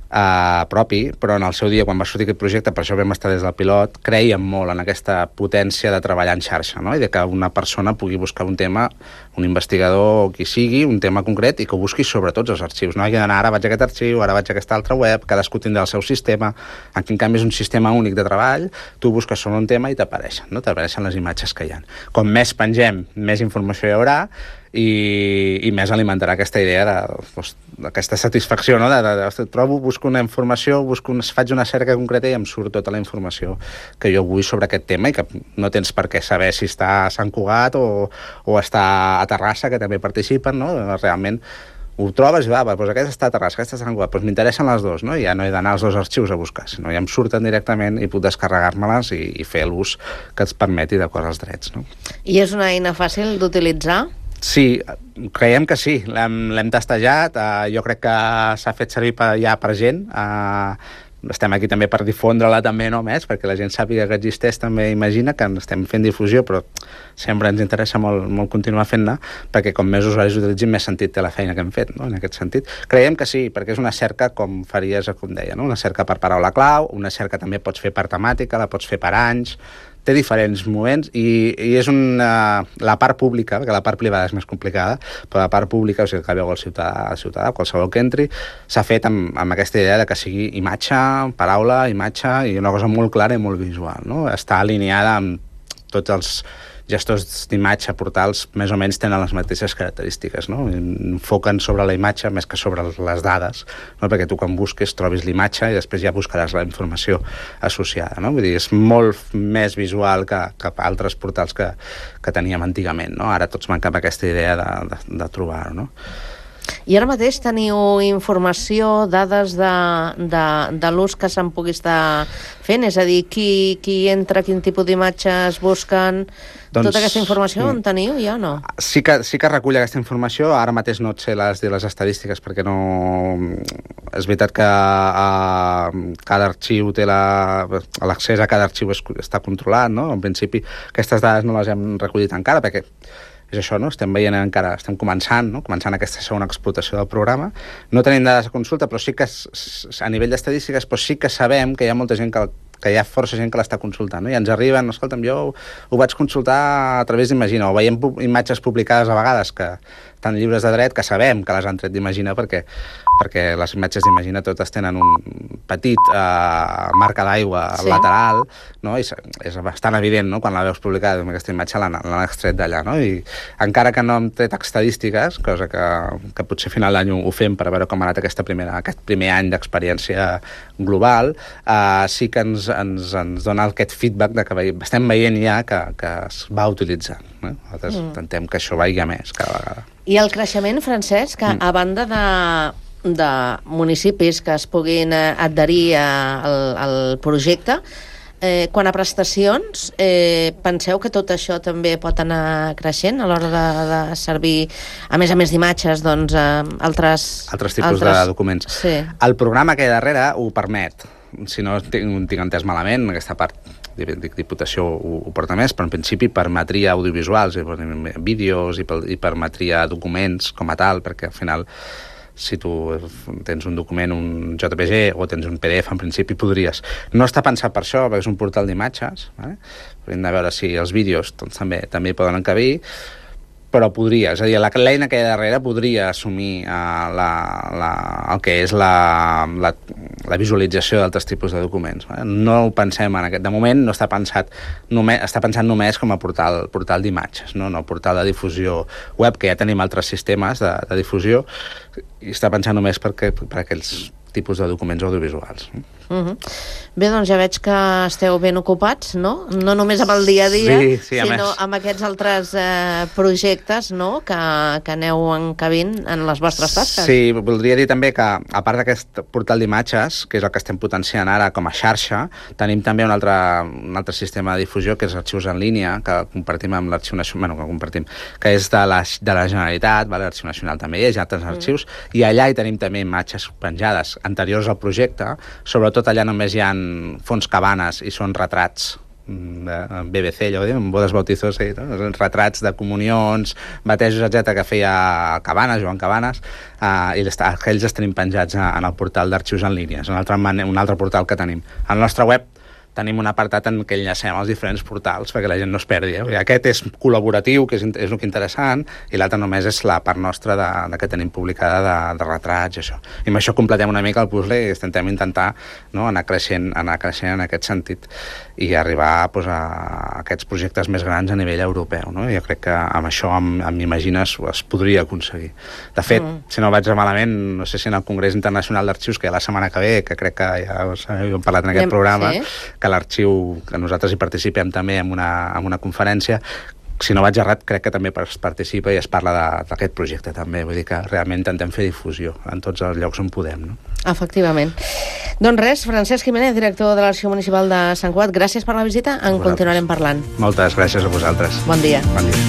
Uh, propi, però en el seu dia, quan va sortir aquest projecte, per això vam estar des del pilot, creiem molt en aquesta potència de treballar en xarxa, no? I de que una persona pugui buscar un tema, un investigador o qui sigui, un tema concret, i que ho busqui sobre tots els arxius. No hagi d'anar, ara vaig a aquest arxiu, ara vaig a aquesta altra web, cadascú tindrà el seu sistema. Aquí, en canvi, és un sistema únic de treball, tu busques sobre un tema i t'apareixen, no? T'apareixen les imatges que hi ha. Com més pengem, més informació hi haurà, i, i més alimentarà aquesta idea d'aquesta satisfacció, no? de, de, de, trobo, busco una informació, busco una, faig una cerca concreta i em surt tota la informació que jo vull sobre aquest tema i que no tens per què saber si està a Sant Cugat o, o està a Terrassa, que també participen, no? Realment ho trobes i va, va doncs aquesta està a Terrassa, aquesta està a Sant Cugat, doncs m'interessen les dues, no? I ja no he d'anar als dos arxius a buscar, sinó ja em surten directament i puc descarregar-me-les i, i fer l'ús que ens permeti d'acord als drets, no? I és una eina fàcil d'utilitzar? Sí, creiem que sí, l'hem testejat, uh, jo crec que s'ha fet servir per, ja per gent, uh, estem aquí també per difondre-la també, no més, perquè la gent sàpiga que existeix, també imagina que estem fent difusió, però sempre ens interessa molt, molt continuar fent-ne, perquè com més usuaris utilitzin, més sentit té la feina que hem fet, no? En aquest sentit. Creiem que sí, perquè és una cerca com faries, com deia, no? Una cerca per paraula clau, una cerca també pots fer per temàtica, la pots fer per anys, té diferents moments i, i és una, la part pública, perquè la part privada és més complicada, però la part pública, o sigui, que veu el ciutadà, el ciutadà, qualsevol que entri, s'ha fet amb, amb aquesta idea de que sigui imatge, paraula, imatge, i una cosa molt clara i molt visual, no? Està alineada amb tots els gestors d'imatge, portals, més o menys tenen les mateixes característiques, no? Enfoquen sobre la imatge més que sobre les dades, no? Perquè tu quan busques trobis l'imatge i després ja buscaràs la informació associada, no? Vull dir, és molt més visual que, que altres portals que, que teníem antigament, no? Ara tots van cap a aquesta idea de, de, de trobar-ho, no? I ara mateix teniu informació, dades de, de, de l'ús que se'n pugui estar fent? És a dir, qui, qui entra, quin tipus d'imatges busquen... Doncs, tota aquesta informació on teniu ja o no? Sí que, sí que recull aquesta informació. Ara mateix no et sé les, les estadístiques perquè no... És veritat que a, cada arxiu té la... l'accés a cada arxiu és, està controlat, no? En principi aquestes dades no les hem recollit encara perquè és això, no? Estem veient encara, estem començant, no? Començant aquesta segona explotació del programa. No tenim dades de consulta, però sí que a nivell d'estadístiques però sí que sabem que hi ha molta gent que que hi ha força gent que l'està consultant, no? I ens arriben, escolta'm, jo ho, ho vaig consultar a través d'Imagina, o veiem pu imatges publicades a vegades que estan lliures de dret, que sabem que les han tret d'Imagina perquè, perquè les imatges d'Imagina totes tenen un petit eh, marca d'aigua sí. lateral, no? I és bastant evident, no? Quan la veus publicada, aquesta imatge l'han extret d'allà, no? I encara que no hem tret estadístiques, cosa que, que potser a final d'any ho fem per veure com ha anat aquesta primera, aquest primer any d'experiència global, eh, sí que ens Ens, ens dona aquest feedback de que ve, estem veient ja que, que es va utilitzant. Eh? Nosaltres mm. intentem que això vagi més cada vegada. I el creixement, Francesc, que mm. a banda de, de municipis que es puguin adherir al, al projecte, eh, quan a prestacions, eh, penseu que tot això també pot anar creixent a l'hora de, de servir, a més a més d'imatges, doncs, eh, altres... Altres tipus altres... de documents. Sí. El programa que hi ha darrere ho permet. Si no tinc, tinc entès malament, aquesta part de Diputació ho, ho porta més, però en principi permetria audiovisuals, vídeos i, i permetria documents com a tal, perquè al final si tu tens un document, un J P G o tens un P D F, en principi podries. No està pensat per això, perquè és un portal d'imatges, eh? Hem de veure si els vídeos doncs, també també hi poden encabir, però podria, és a dir, l'eina que hi ha darrere podria assumir uh, la, la, el que és la, la, la visualització d'altres tipus de documents. Eh? No ho pensem en aquest... De moment no està pensat només, està pensat només com a portal, portal d'imatges, no? No portal de difusió web, que ja tenim altres sistemes de, de difusió, i està pensat només per, que, per aquells tipus de documents audiovisuals. Uh-huh. Bé, doncs ja veig que esteu ben ocupats, no? No només amb el dia a dia, sí, sí, sinó més. amb aquests altres eh, projectes, no?, que, que aneu encabint en les vostres tasques. Sí, voldria dir també que, a part d'aquest portal d'imatges, que és el que estem potenciant ara com a xarxa, tenim també un altre, un altre sistema de difusió, que és arxius en línia, que compartim amb l'Arxiu Nacional, bueno, que compartim, que és de la, de la Generalitat, vale? L'Arxiu Nacional també hi ha altres mm. arxius, i allà hi tenim també imatges penjades anteriors al projecte, sobretot tot allà només hi ha fons cabanes i són retrats de B B C, allò en bodes bautizos, sí, no? Retrats de comunions, batejos, etcètera, que feia Cabanes, Joan Cabanes, eh, i aquells els tenim penjats en el portal d'arxius en línia, és un altre, un altre portal que tenim. Al nostre web tenim un apartat en què enllacem els diferents portals perquè la gent no es perdi. Eh? Aquest és col·laboratiu, que és, és el que interessant, i l'altre només és la part nostra de, de que tenim publicada de, de retrats i això. I amb això completem una mica el puzzle i intentem intentar, no, anar creixent, anar creixent en aquest sentit i arribar, pues, a aquests projectes més grans a nivell europeu. No? Jo crec que amb això, amb, amb Imagines, es podria aconseguir. De fet, mm. si no vaig malament, no sé si en el Congrés Internacional d'Arxius, que hi ha la setmana que ve, que crec que ja hem parlat en aquest Anem, programa, sí. que l'arxiu, que nosaltres hi participem també en una, en una conferència, si no vaig errat, crec que també es participa i es parla d'aquest projecte també, vull dir que realment intentem fer difusió en tots els llocs on podem, no? Efectivament. Doncs res, Francesc Jiménez, director de l'Arxiu Municipal de Sant Cugat, gràcies per la visita, en continuarem parlant. Moltes gràcies a vosaltres. Bon dia. Bon dia.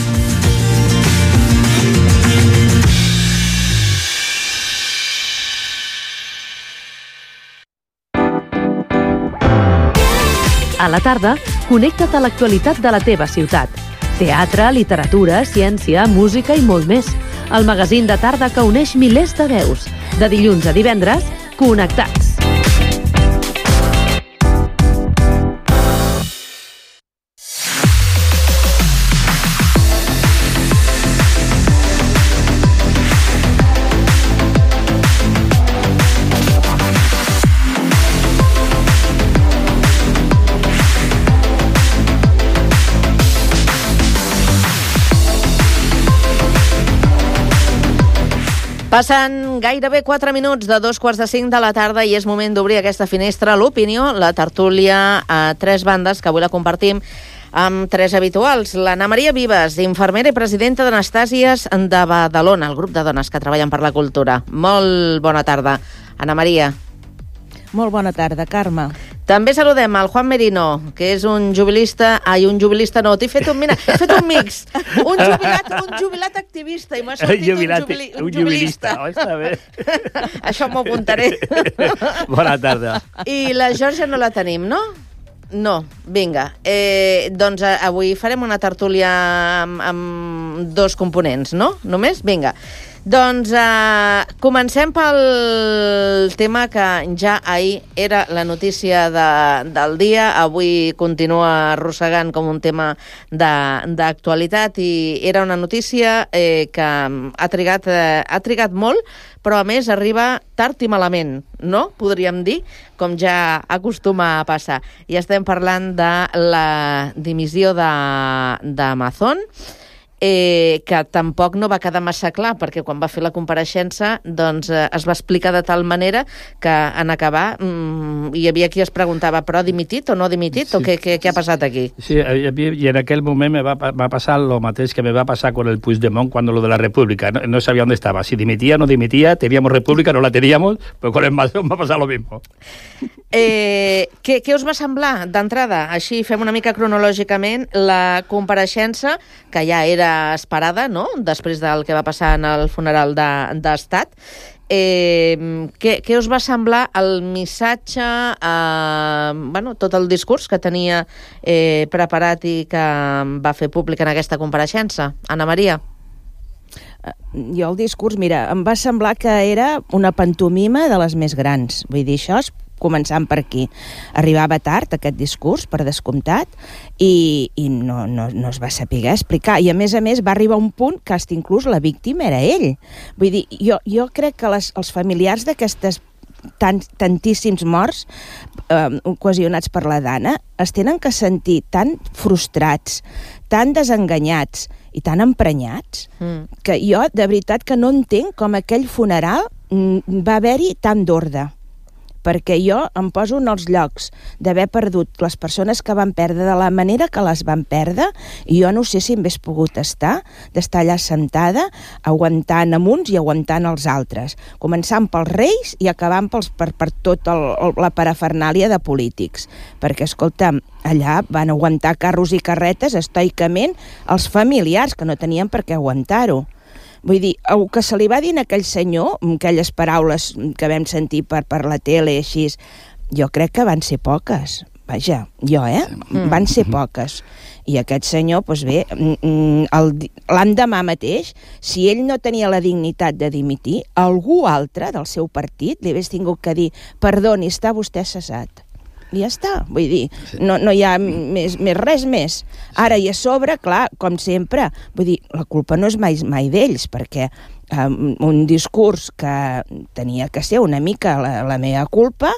A la tarda, connecta't a l'actualitat de la teva ciutat. Teatre, literatura, ciència, música i molt més. El magazín de tarda que uneix milers de veus. De dilluns a divendres, Connectats. Passen gairebé quatre minuts de dos quarts de cinc de la tarda i és moment d'obrir aquesta finestra, l'opinió, la tertúlia a tres bandes, que avui la compartim amb tres habituals. L'Anna Maria Vives, infermera i presidenta d'Anastàsies de Badalona, el grup de dones que treballen per la cultura. Molt bona tarda, Anna Maria. Molt bona tarda, Carme. També saludem al Juan Merino, que és un jubilista... Ai, un jubilista no, t'he fet un, mira, he fet un mix. Un jubilat, un jubilat activista, i m'ha sortit jubilat, un, jubili, un, un jubilista. jubilista. Oh, està bé. Això m'ho apuntaré. Bona tarda. I la Georgia no la tenim, no? No, vinga. Eh, doncs avui farem una tertúlia amb, amb dos components, no? Només? Vinga. Doncs eh, comencem pel tema que ja ahir era la notícia de, del dia, avui continua arrossegant com un tema d'actualitat i era una notícia eh, que ha trigat, eh, ha trigat molt, però a més arriba tard i malament, no? Podríem dir, com ja acostuma a passar. I estem parlant de la dimissió d'Amazon, Eh, que tampoc no va quedar massa clar, perquè quan va fer la compareixença doncs, eh, es va explicar de tal manera que en acabar mm, hi havia qui es preguntava, però ha dimitit o no ha dimitit? Sí. O què, què, què ha passat aquí? Sí, y en aquel moment me va, va pasar lo mateix que me va pasar con el Puigdemont cuando lo de la República. No, no sabía dónde estaba, si dimitía o no dimitía, teníamos República, no la teníamos, pues con el Madrid va a pasar lo mismo. Eh, què, què us va semblar d'entrada? Així fem una mica cronològicament la compareixença, que ja era esperada, no?, després del que va passar en el funeral d'Estat. Eh, què, què us va semblar el missatge, eh, bueno, tot el discurs que tenia eh, preparat i que va fer públic en aquesta compareixença? Anna Maria? Jo el discurs, mira, em va semblar que era una pantomima de les més grans. Vull dir, això és començant per aquí. Arribava tard aquest discurs, per descomptat, i, i no, no, no es va saber explicar. I a més a més va arribar un punt que hasta inclús la víctima era ell. Vull dir, jo, jo crec que les, els familiars d'aquestes tant, tantíssims morts eh, ocasionats per la Dana es tenen que sentir tan frustrats, tan desenganyats i tan emprenyats, mm. que jo de veritat que no entenc com aquell funeral mm, va haver-hi tant d'ordre. Perquè jo em poso en els llocs d'haver perdut les persones que van perdre de la manera que les van perdre, i jo no sé si m'hagués pogut estar, d'estar allà sentada, aguantant amb uns i aguantant els altres, començant pels reis i acabant pels, per, per tot el, la parafernàlia de polítics. Perquè, escolta'm, allà van aguantar carros i carretes estoicament els familiars, que no tenien per què aguantar-ho. Vull dir, el que se li va dir a aquell senyor, aquelles paraules que vam sentir per, per la tele i així, jo crec que van ser poques. Vaja, jo, eh? Mm. Van ser poques. I aquest senyor, doncs bé, l'endemà mateix, si ell no tenia la dignitat de dimitir, algú altre del seu partit li hagués tingut que dir, perdoni, està vostè cessat. I ja està, vull dir, no, no hi ha més, més res més. Ara, i a sobre, clar, com sempre, vull dir, la culpa no és mai, mai d'ells, perquè um, un discurs que tenia que ser una mica la, la meva culpa,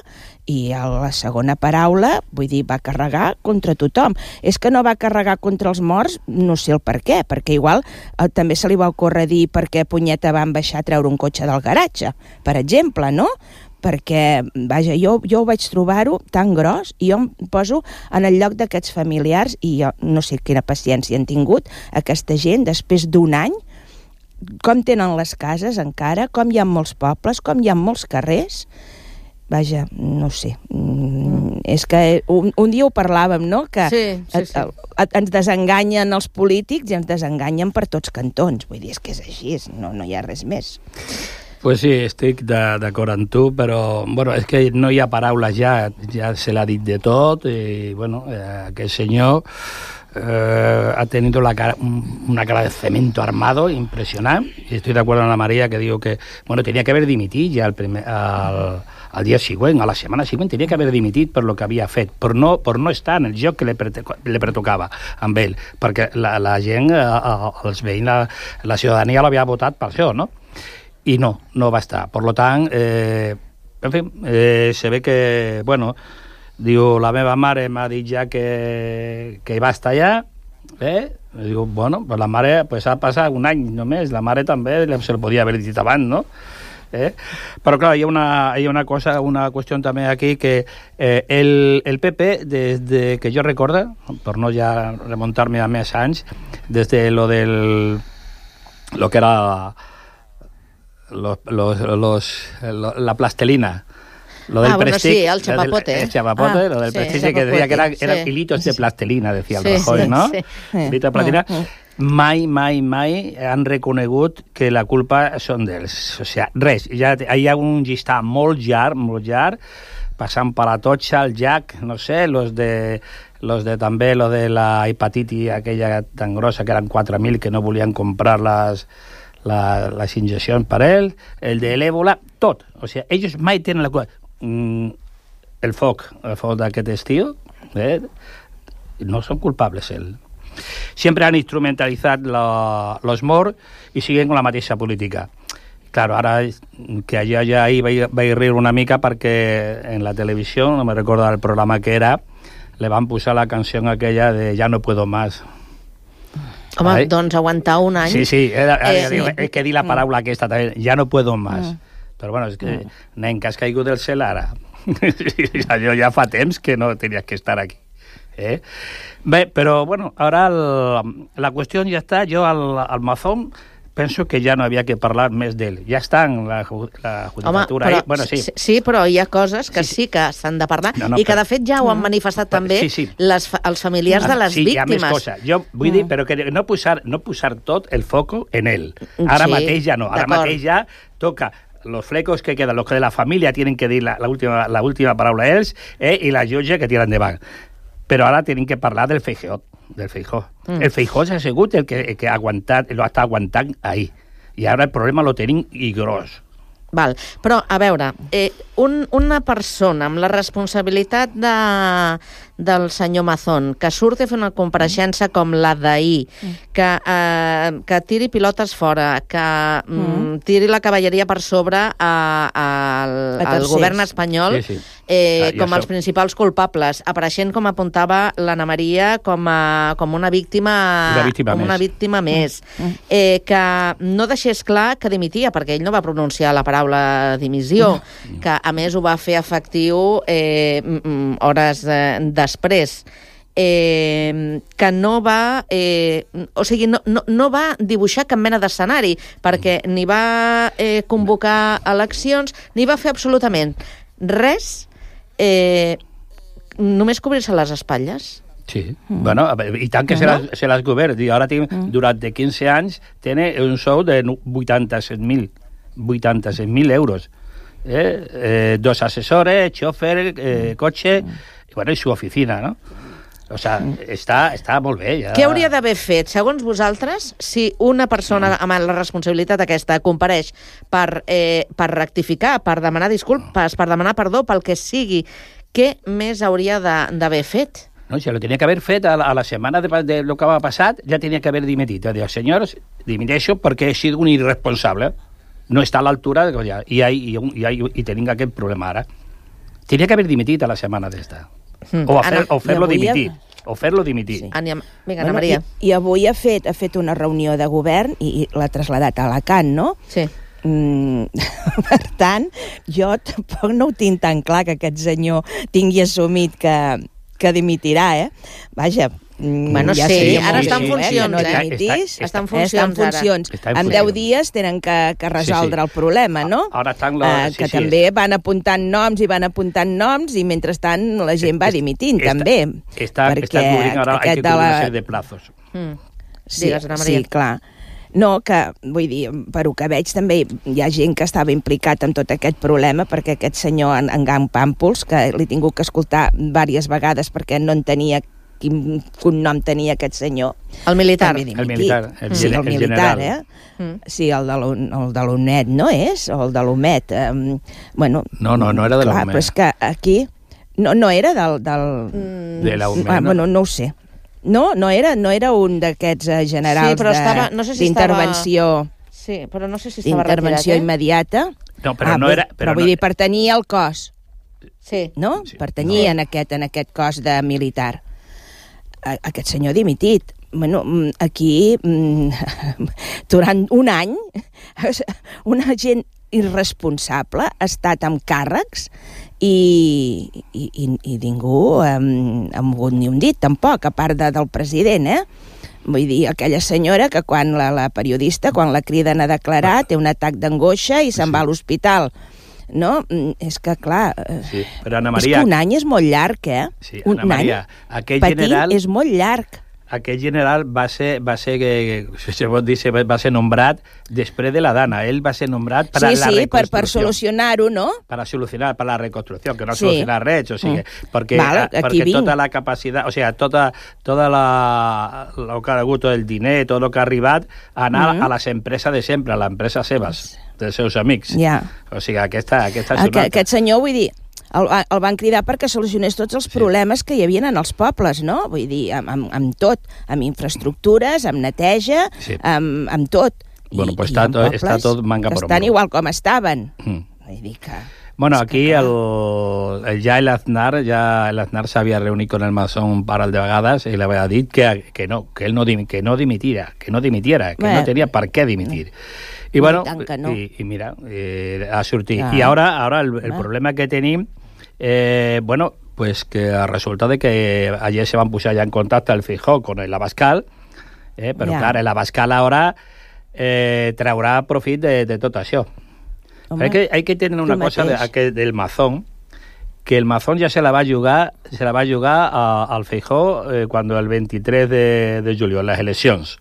i a la segona paraula, vull dir, va carregar contra tothom. És que no va carregar contra els morts, no sé el per què, perquè igual eh, també se li va ocórrer dir per què punyeta van baixar a treure un cotxe del garatge, per exemple, no? Perquè, vaja, jo, jo ho vaig trobar-ho tan gros, i jo em poso en el lloc d'aquests familiars, i jo no sé quina paciència han tingut aquesta gent després d'un any, com tenen les cases encara, com hi ha molts pobles, com hi ha molts carrers. Vaja, no sé, mm, és que un, un dia ho parlàvem, no?, que sí, sí, sí. Et, et, ens desenganyen els polítics i ens desenganyen per tots cantons. Vull dir, és que és així, no, no hi ha res més. Pues sí, estic d'acord amb tu, però bueno, és que no hi ha paraules ja, ja se l'ha dit de tot, i bueno, eh, aquest senyor eh, ha tenido la cara, una cara de cemento armado impresionante, y estoy de acuerdo con la María que digo que, bueno, tenía que haver dimitit ja el primer, al, al dia següent, a la setmana següent, tenia que haver dimitit per lo que havia fet, per no, per no estar en el joc que li, li pertocava amb ell, perquè la, la gent, els veïns, la, la ciutadania l'havia votat per això, no? I no, no va estar. Per tant, eh, en fi, eh, se ve que, bueno, diu, la meva mare m'ha dit ja que, que va estar allà, eh? Diu, bueno, pues la mare, pues ha passat un any només, la mare també se li podia haver dit abans, no? ¿eh? Pero claro, hay una, hay una cosa, una cuestión también aquí que eh, el, el P P, desde que yo recuerdo, por no ya remontarme a més anys, desde lo del lo que era los, los, los, lo, la plastelina, lo del ah, bueno, prestig, sí, el chapapote. El, el chapapote, ah, lo del sí, prestigio que decía que era, sí. eran hilitos de plastilina, decía el sí, Rajoy, sí, ¿no? Sí. Hilitos de plastilina. Mm, mm. Mai, mai, mai han reconegut que la culpa són d'ells. O sigui, res, ja hi ha un llistat molt llarg, molt llarg, passant per la Totxa, el Jack, no sé, los de, los de també, lo de la hepatitis aquella tan grossa, que eren quatre mil, que no volien comprar les, la, les injeccions per ell, el de l'èbola, tot. O sigui, ells mai tenen la culpa. Mm, el foc, el foc d'aquest estiu, eh, no són culpables, ells. Siempre han instrumentalitzat la, los morts i siguen con la mateixa política. Claro, ara que allà ja ahí vaig, vaig riure una mica perquè en la televisió, no me recordo el programa que era, le van posar la canció aquella de Ja no puedo más. Home, Ai? doncs aguantar un any... Sí, sí, era, eh, digo, sí. és que dir la paraula mm. aquesta també, Ja no puedo más. Mm. Però bueno, és que, mm. nen, que has caigut del cel ara. Allò ja fa temps que no tenies que estar aquí. ¿Eh? Bé, però, bueno, ara el, la qüestió ja està, jo al, al Mazón penso que ja no havia que parlar més d'ell. Ja està en la, la judicatura. Home, però, ahí. Bueno, sí. sí, però hi ha coses que sí, sí que s'han de parlar no, no, i que, de fet, ja ho han manifestat no, també sí, sí. Les, els familiars de les sí, víctimes. Sí, hi ha més cosa. Jo vull mm. dir, però que no posar, no posar tot el foco en ell. Ara sí, mateix ja no. Ara mateix ja toca los flecos que quedan, los que de la familia tienen que dir la, la, última, la última paraula a ells eh, i la jutge que tira endavant. Però ara tenim que parlar del Feijóo. Del Feijóo. Mm. El Feijóo s'ha sigut el que, el que ha aguantat, lo està aguantant ahí. I ara el problema lo tenim i gros. Val. Però, a veure, eh, un, una persona amb la responsabilitat de, del senyor Mazón, que surti a fer una compareixença com la d'ahir, mm. que, eh, que tiri pilotes fora, que mm. tiri la cavalleria per sobre a, a, al, al govern espanyol, sí, sí. Eh, ah, com els soc. principals culpables, apareixent, com apuntava l'Anna Maria, com, a, com una víctima, una víctima com més, una víctima més mm. eh, que no deixés clar que dimitia, perquè ell no va pronunciar la paraula dimissió, mm. que a més ho va fer efectiu eh, hores eh, després. Eh, que no va eh, o sigui, no, no, no va dibuixar cap mena d'escenari, perquè ni va eh, convocar eleccions, ni va fer absolutament res, eh, només cobrir-se les espatlles. Sí, mm. bueno, i tant que no? se, les, se les govern. Ara tinc, mm. durant quinze anys, tiene un sou de vuitanta-set mil euros. Eh? Eh, dos assessores, xofer, eh, cotxe, mm. i, bueno, i su oficina, no? O sea, està, està molt bé. Ja. Què hauria d'haver fet, segons vosaltres, si una persona amb la responsabilitat aquesta compareix per, eh, per rectificar, per demanar disculpes, per demanar perdó, pel que sigui, què més hauria d'haver fet? No, si lo tenía que haber fet a la, a la setmana de, de lo que va passat, ja tenia que haver dimitit. Va dir, senyors, dimiteixo perquè he sigut un irresponsable. No està a l'altura de... Ja, i, i, i, i, i tenim aquest problema ara. Tenia que haver dimitit a la setmana d'esta. Mm. O, fer, o fer-lo dimitir. O fer-lo dimitir. Sí. Vinga, bueno, Ana Maria. I, I avui ha fet, ha fet una reunió de govern i, i l'ha traslladat a Alacant, no? Sí. Mm, per tant, jo tampoc no ho tinc tan clar que aquest senyor tingui assumit que, que dimitirà, eh? Vaja, bueno, ja sí, ara està en funcions, eh? No dimitís, està, està en funcions, està en funcions. Està en en deu dies tenen que, que resoldre sí, sí. el problema, no? Ara estan la... Uh, que sí, també sí. van apuntant noms i van apuntant noms i mentrestant la gent va dimitint, està, també. Està, està cobrint ara, hay que cobrir una sèrie de plazos. Mm. Sí, Digues, sí, clar. No, que, vull dir, per ho que veig, també hi ha gent que estava implicat en tot aquest problema, perquè aquest senyor, en, en Gang Pàmpols, que l'he tingut que escoltar diverses vegades perquè no entenia quin cognom tenia aquest senyor. El militar. El militar. El, sí, el, el militar, general. eh? Mm. Sí, el de l'UNED, no és? O el de l'UMET. Um, bueno, no, no, no era de l'UMET. Però és que aquí... No, no era del... del... Mm. De l'UMET, ah, no? Bueno, no ho sé. No, no era, no era un d'aquests uh, generals sí, estava, no sé si d'intervenció... Estava... Sí, però no sé si estava d'intervenció retirat, eh? immediata. No, però ah, no era... Però, però vull no... dir, pertanyia al cos. Sí. No? Sí. Pertanyia no. en, aquest, en aquest cos de militar. Aquest senyor dimitit. Bueno, aquí, durant un any, una gent irresponsable, ha estat amb càrrecs i, i, i, i ningú ha mogut ni un dit, tampoc, a part de, del president, eh? Vull dir, aquella senyora que quan la, la periodista, quan la criden a declarar, té un atac d'angoixa i se'n va a l'hospital. No? És que, clar, sí, però Ana Maria, és que un any és molt llarg, eh? Sí, Ana un Maria, any aquell petit general, és molt llarg. Aquell general va ser, va ser, que, se pot dir, va ser nombrat després de la Dana. Ell va ser nombrat per sí, a la sí, reconstrucció. Sí, per, per solucionar-ho, no? Per a solucionar, per a la reconstrucció, que no sí. solucionar res, o sigui, mm. perquè, Val, perquè vinc. tota la capacitat, o sigui, tota, tota la, lo que ha hagut, el diner, tot el que ha arribat, a anar mm. a les empreses de sempre, a les empreses seves, dels seus amics. Ja. O sigui, aquesta, aquesta és una Aquest senyor, vull dir, El, el van cridar perquè solucionés tots els problemes sí. que hi havia en els pobles, no? Vull dir, amb, amb, amb tot, amb infraestructures, amb neteja, sí. amb, amb tot. Bueno, I, pues està, tot, està tot manga per estan igual com estaven. Mm. Vull dir que... Bueno, aquí el, el, ja el Aznar, ja el Aznar s'havia reunit con el Masón un parell de vegades i li havia dit que, que no, que ell no, que no dimitira, que no dimitiera, que Bé. no tenia per què dimitir. I, bueno, no. i, i mira, eh, ha sortit. Ah. I ara, ara el, el problema que tenim Eh, bueno, pues que resulta de que ayer se van pujar ya en contacto el Feijóo con el Abascal, eh, però yeah. clar, el Abascal ara eh, traurà profit de, de tot això. Home, hay que, hay que tener una cosa de, que del Mazón, que el Mazón ya se la va a jugar, se la va a jugar a, al Feijóo eh, cuando el veintitrés de, de julio, en las eleccions,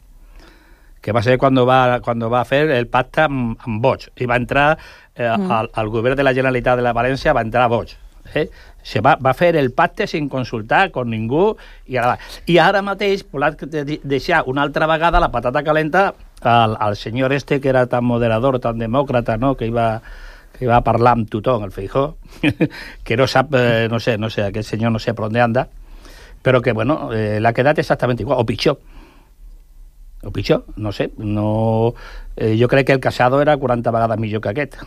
que va ser cuando va, cuando va a fer el pacte amb, amb Vox, i va entrar eh, mm. al, al govern de la Generalitat de la València, va entrar Vox. Eh? Se va, va fer el pacte sin consultar con ningú i ara, i ara mateix volat deixar una altra vegada la patata calenta al, al senyor este que era tan moderador, tan demòcrata, no? que, iba, que iba a parlar amb tothom, el Feijóo, que no sap, eh, no sé, no sé, aquest senyor no sé per on anda, però que, bueno, eh, l'ha quedat exactament igual, o pitjor. O pitjor, no sé. No, eh, jo crec que el Casado era quaranta vegades millor que aquest.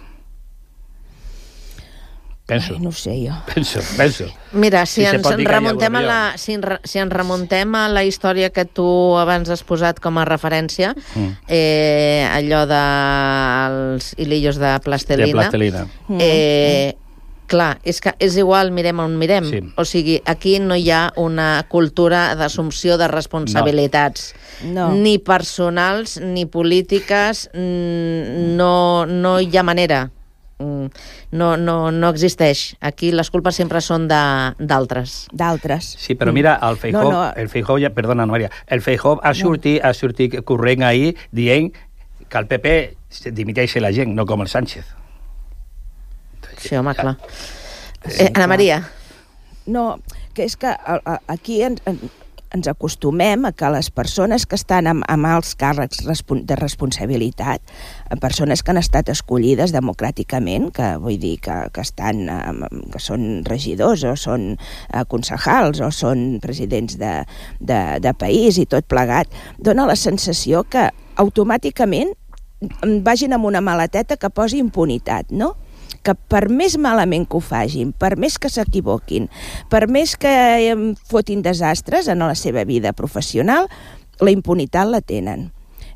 Penso. Ai, no sé jo. Penso, penso. Mira, si, si ens remuntem a la, si, si ens remuntem a la història que tu abans has posat com a referència, mm. eh, allò dels hilillos de plastelina, de plastelina. Eh, mm. clar, és que és igual, mirem on mirem. Sí. O sigui, aquí no hi ha una cultura d'assumpció de responsabilitats. No. Ni personals, ni polítiques, no, no hi ha manera. No, no, no existeix. Aquí les culpes sempre són d'altres. D'altres. Sí, però mira, el Feijóo, no, no. el Feijóo ja, perdona, Maria, el Feijóo ha sortit, no. ha sortit corrent ahir dient que el P P dimiteix la gent, no com el Sánchez. Sí, home, clar. Eh, Ana Maria. No, que és que aquí ens, ens acostumem a que les persones que estan amb, amb alts càrrecs de responsabilitat, persones que han estat escollides democràticament, que vull dir que, que, estan, que són regidors o són concejals o són presidents de, de, de país i tot plegat, dona la sensació que automàticament vagin amb una maleteta que posi impunitat, no? Que per més malament que ho fagin, per més que s'equivoquin, per més que fotin desastres en la seva vida professional, la impunitat la tenen.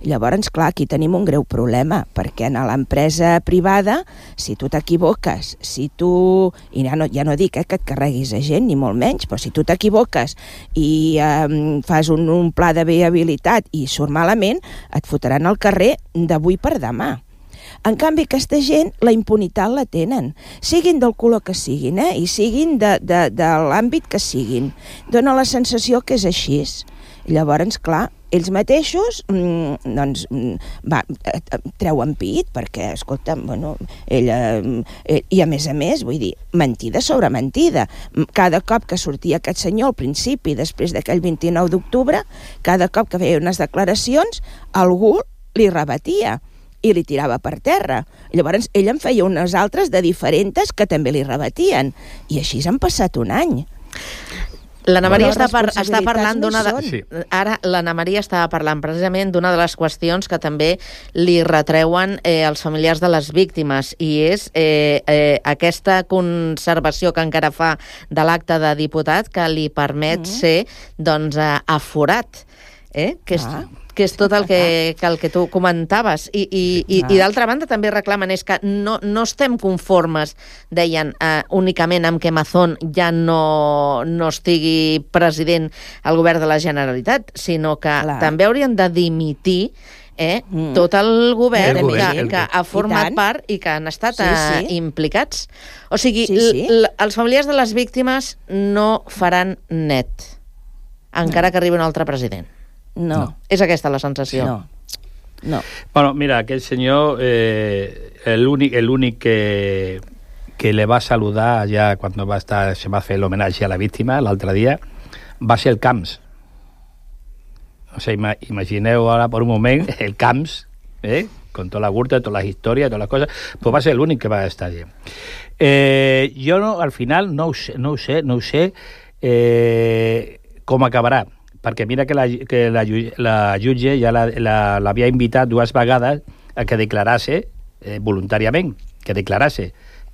Llavors, clar, aquí tenim un greu problema, perquè en l'empresa privada, si tu t'equivoques, si tu... I ja no, ja no dic eh, que et carreguis a gent, ni molt menys, però si tu t'equivoques i eh, fas un, un pla de viabilitat i surt malament, et fotran al carrer d'avui per demà. En canvi, aquesta gent, la impunitat la tenen, siguin del color que siguin, eh? I siguin de, de, de l'àmbit que siguin. Dóna la sensació que és així. Llavors, clar, ells mateixos mmm, doncs, va, treuen pit, perquè, escolta, bueno, ella... Eh, I a més a més, vull dir, mentida sobre mentida. Cada cop que sortia aquest senyor al principi, després d'aquell vint-i-nou d'octubre, cada cop que feia unes declaracions, algú li rebatia i li tirava per terra. Llavors ell en feia unes altres de diferents que també li rebatien. I així s'han passat un any. L'Anna Maria està, par està parlant d'una... De... Sí. Ara l'Anna Maria estava parlant precisament d'una de les qüestions que també li retreuen eh, els familiars de les víctimes, i és eh, eh, aquesta conservació que encara fa de l'acte de diputat que li permet mm. ser doncs, eh, aforat. Eh? Que és... Ah. que és tot el que, que, el que tu comentaves. I, i, i, i d'altra banda també reclamen és que no, no estem conformes, deien, eh, únicament amb que Mazón ja no, no estigui president al govern de la Generalitat, sinó que Clar. també haurien de dimitir Eh, mm. tot el govern, el govern que, el... que ha format part i que han estat sí, sí. Uh, implicats. O sigui, sí, sí. els familiars de les víctimes no faran net, encara no. que arribi un altre president. No. no. És aquesta la sensació. No. no. Bueno, mira, aquell senyor, eh, l'únic el únic que, que le va saludar ja quan va estar, se va fer l'homenatge a la víctima l'altre dia, va ser el Camps. O sea, imagineu ara per un moment el Camps, eh? con tota la curta, totes les històries, totes les coses, pues va ser l'únic que va estar allà. Eh, jo no, al final no ho sé, no ho sé, no ho sé eh, com acabarà, perquè mira que la, que la, la jutge ja l'havia la, la, invitat dues vegades a que declarase eh, voluntàriament, que declarase,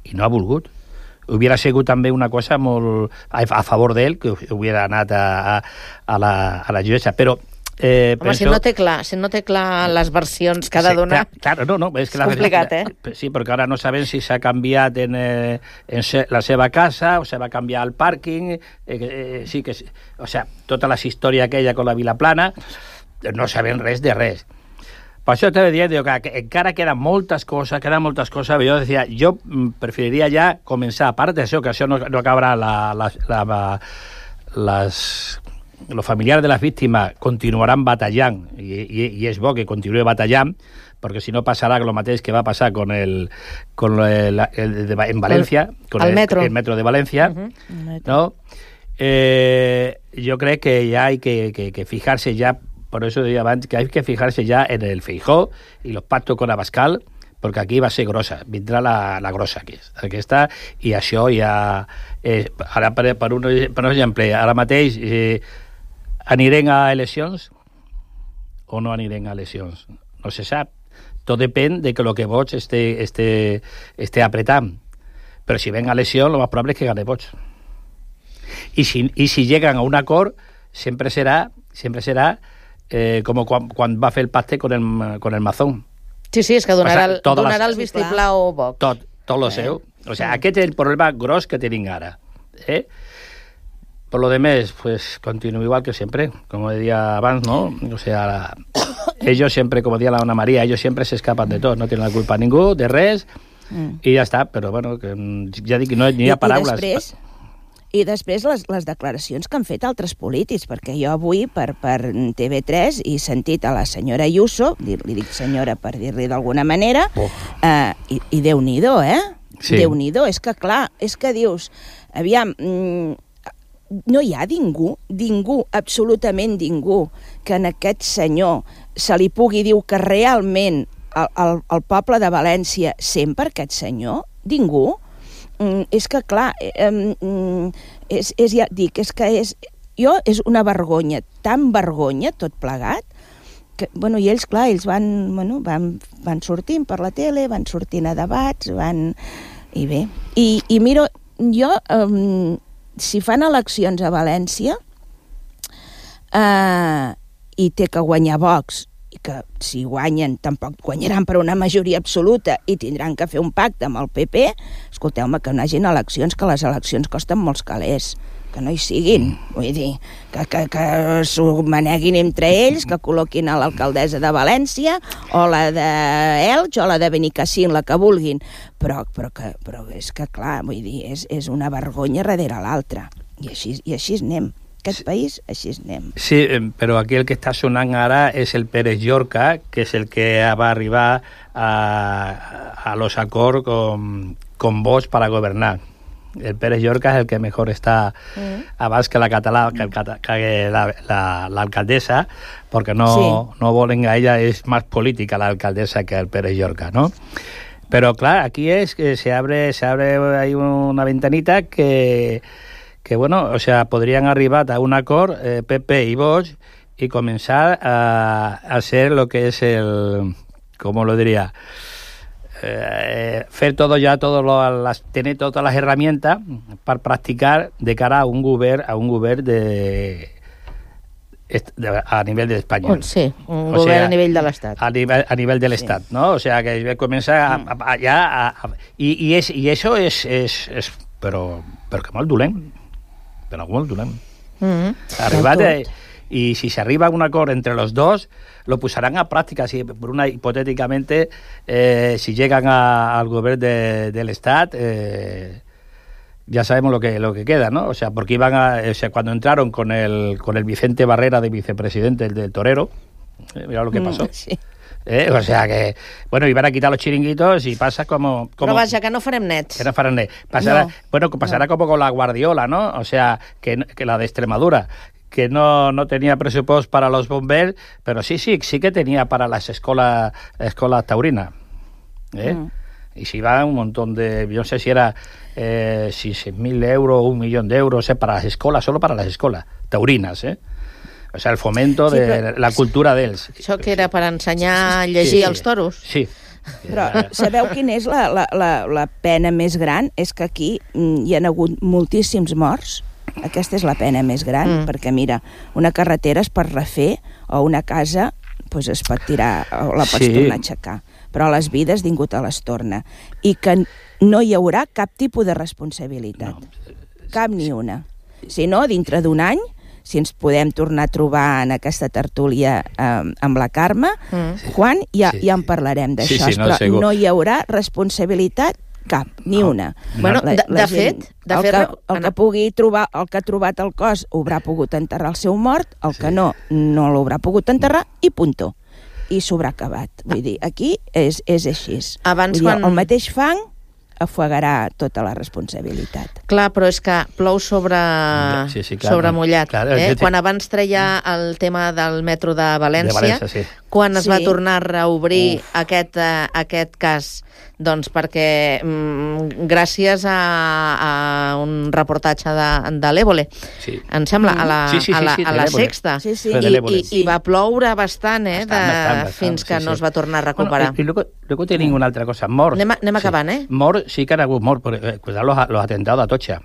i no ha volgut. Hubiera sigut també una cosa molt a, a favor d'ell, que hubiera anat a, a, a, la, a la jutgessa, però Eh, Home, penso... si no té clar, si no té clar les versions que ha de sí, donar... Claro, no, no, és, que és complicat, la, eh? Sí, perquè ara no sabem si s'ha canviat en, eh, en se, la seva casa o se va canviar el pàrquing, eh, eh, sí que... O sea, tota la història aquella con la Vilaplana, no sabem res de res. Per això t'he dit que, que encara queden moltes coses, queden moltes coses, jo decía, jo preferiria ja començar, a part d'això, que això no, no acabarà la, la, la, la, les... los familiares de las víctimas continuaran batallant, i, i, i és bo que continuï batallant, perquè si no passarà el mateix que va passar con el, con el, el de, en València, el, con el, metro. el metro de València, uh-huh. ¿no? Eh, yo creo que ya hay que, que, que fijarse ya, por eso decía antes, que hay que fijarse ya en el Feijóo y los pactos con Abascal, perquè aquí va ser grossa, vindrà la, la grossa aquí, aquesta, i això ja... Eh, ara, per, per, un, per un exemple, ara mateix... Eh, anirem a eleccions o no anirem a eleccions? No se sap. Tot depèn de que lo que Vox esté, esté, esté apretant. Però si ven a eleccions, lo más probable es que gane Vox. Y si, y si llegan a un acord, siempre será, siempre será eh, como quan, quan va fer el pacte con el, con el Mazón. Sí, sí, és que donarà, o sea, donarà les... el vistiplau Vox. Tot, tot lo eh. seu. O sea, aquest és el problema gros que tenim ara. Eh? Por lo demás, pues continúo igual que siempre, como decía abans, ¿no? O sea, la, ellos siempre, como decía la Ana María, ellos siempre se escapan de todo, no tienen la culpa ningú, de res, mm. i ja està, però bueno, que ja dic que no hi ha paraules. I després, i després les, les declaracions que han fet altres polítics, perquè jo avui per, per T V tres he sentit a la senyora Ayuso, li dic senyora per dir-li d'alguna manera, oh. eh, i, i Déu-n'hi-do, eh? Sí. Déu-n'hi-do, és que clar, és que dius, aviam... Mm, no hi ha ningú, ningú, absolutament ningú, que en aquest senyor se li pugui dir que realment el, el, el poble de València sent per aquest senyor? Ningú? Mm, és que, clar, eh, mm, és, és, ja dic, és que és, jo és una vergonya, tan vergonya tot plegat, que, bueno, i ells, clar, ells van, bueno, van, van sortint per la tele, van sortint a debats, van... I bé, i, i miro, jo... Eh, si fan eleccions a València eh, i té que guanyar Vox, i que si guanyen tampoc guanyaran per una majoria absoluta i tindran que fer un pacte amb el P P, escolteu-me, que no hagin eleccions, que les eleccions costen molts calés, que no hi siguin, vull dir, que, que, que s'ho maneguin entre ells, que col·loquin a l'alcaldessa de València o la d'Elx o la de Benicàssim, la que vulguin, però, però, que, però és que clar, vull dir, és, és una vergonya darrere l'altra, i així, i així anem. Aquest país, així anem. Sí, però aquí el que està sonant ara és el Pérez Llorca, que és el que va arribar a, a los acords con, con Vox para gobernar. El Pérez Llorca es el que mejor está mm. abans que la català, que, el, que la, la, la alcaldesa, porque no, sí. no volen a ella, es más política la alcaldesa que el Pérez Llorca, ¿no? Pero claro, aquí es que se abre, se abre ahí una ventanita que, que bueno, o sea, podrían arribar a un acord eh, P P y Vox y comenzar a, a hacer lo que es el, ¿cómo lo diría? Eh, fer todo ya, todo lo, las, tener todas las herramientas para practicar de cara a un govern, a un govern de a nivell d'Espanya. Sí, un govern o sea, a nivell de l'Estat. A nivell, a nivell de l'Estat, sí. ¿no? O sea, que comença a, a, ja a, a, i, i, és, i això és, és, és però, però que molt dolent. Però molt dolent. Mm-hmm. Arribat, eh, y si se arriba a un acuerdo entre los dos, lo pusarán a práctica. Si, por una, hipotéticamente, eh, si llegan a, al gobierno de, del Estado, eh, ya sabemos lo que, lo que queda, ¿no? O sea, porque iban a, o sea, cuando entraron con el, con el Vicente Barrera de vicepresidente, el del Torero, eh, mira lo que pasó. Mm, sí. Eh, o sea que, bueno, iban a quitar los chiringuitos y pasa como... como Però vaja, que no farem nets. Que no farem nets. Pasará, no. Bueno, pasará no. como con la Guardiola, ¿no? O sea, que, que la de Extremadura, que no, no tenía presupuesto para los bomberos, pero sí, sí, sí que tenía para las escuelas, escuelas taurinas. ¿Eh? Mm. Y si va un montón de... Yo no sé si era eh, si seis mil euros o un millón de euros eh, para las escuelas, solo para las escuelas taurinas, ¿eh? O sea, el fomento sí, de la cultura d'ells. Això que era per ensenyar a llegir sí, sí. als toros? Sí. Però sabeu quina és la, la, la, la pena més gran? És que aquí hi ha hagut moltíssims morts. Aquesta és la pena més gran, mm. perquè mira, una carretera es pot refer o una casa pues, es pot tirar o la pots sí. tornar a aixecar. Però les vides ningú te les torna. I que no hi haurà cap tipus de responsabilitat. No. Cap ni una. Si no, dintre d'un any, si ens podem tornar a trobar en aquesta tertúlia eh, amb la Carme, mm. Juan, ja, sí. ja en parlarem d'això. Sí, sí, no, però segur. No hi haurà responsabilitat cap, ni una. Bueno, la, de, la de gent, fet... De el, fet que, el, que pugui trobar, el que ha trobat el cos haurà pogut enterrar el seu mort, el sí. que no, no l'haurà pogut enterrar i puntó. I s'haurà acabat. Vull dir, aquí és, és així. Abans Vull dir, quan... el mateix fang afuegarà tota la responsabilitat. Clar, però és que plou sobre, sí, sí, clar, sobre mullat. Clar, eh? Quan abans treia el tema del metro de València, de València sí. quan es sí. va tornar a reobrir aquest, uh, aquest cas, doncs perquè mm, gràcies a, a un reportatge de, de l'Évole, sí. em sembla, a la, sí, sí, sí, a la, sí, sí, a la Sexta, sí, sí. I, i, i va ploure bastant, eh, bastant, de, bastant, bastant, fins que sí, no sí. es va tornar a recuperar. Bueno, y luego, luego tienen una altra cosa, mort. Anem, anem acabant, sí. eh? Mort, sí que han hagut mort, però, eh, cuidado los, los atentados a Atocha.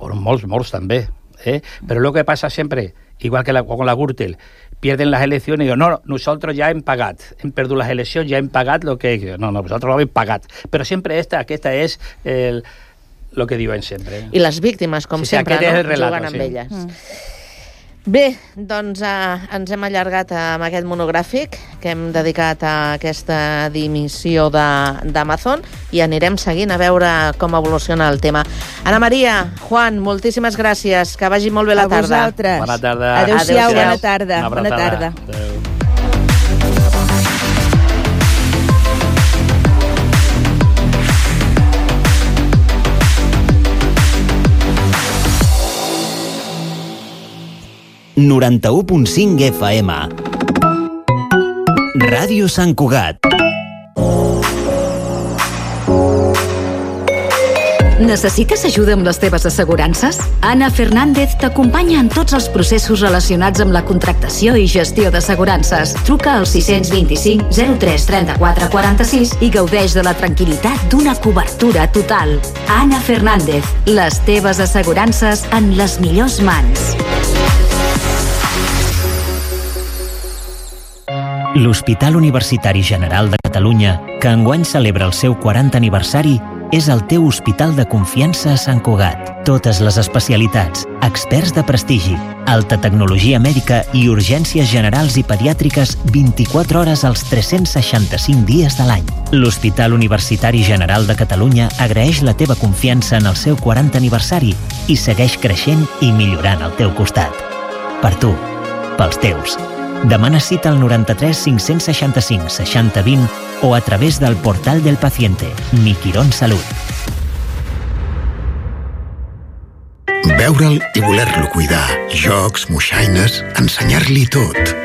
Molts morts també, eh? Pero lo que pasa siempre, igual que la, con la Gürtel, pierden las elecciones y digo, no, nosotros ya hem pagat, hem perdut las eleccions, ya hem pagat lo que... No, no, nosotros lo hem pagat. Pero siempre esta, aquesta és el, lo que diuen sempre. I les víctimes, com sí, sempre, sí, no? relato, jugant amb sí. elles. Mm. Bé, doncs eh, ens hem allargat amb aquest monogràfic que hem dedicat a aquesta dimissió d'Amazon i anirem seguint a veure com evoluciona el tema. Ana Maria, Juan, moltíssimes gràcies. Que vagi molt bé la a tarda. A vosaltres. Bona tarda. Adéu-siau, bona tarda. Bona tarda. Adéu. noranta-u punt cinc F M. Ràdio Sant Cugat. Necessites ajuda amb les teves assegurances? Ana Fernández t'acompanya en tots els processos relacionats amb la contractació i gestió d'assegurances. Truca al sis dos cinc zero tres trenta-quatre quaranta-sis i gaudeix de la tranquil·litat d'una cobertura total. Ana Fernández, les teves assegurances en les millors mans. L'Hospital Universitari General de Catalunya, que enguany celebra el seu quaranta aniversari, és el teu hospital de confiança a Sant Cugat. Totes les especialitats, experts de prestigi, alta tecnologia mèdica i urgències generals i pediàtriques vint-i-quatre hores als tres-cents seixanta-cinc dies de l'any. L'Hospital Universitari General de Catalunya agraeix la teva confiança en el seu quaranta aniversari i segueix creixent i millorant al teu costat. Per tu, pels teus. Demana cita al noranta-tres cinc-cents seixanta-cinc seixanta vint o a través del portal del paciente Mi Quirón Salut. Veure'l i voler-lo cuidar. Jocs, moixaines, ensenyar-li tot.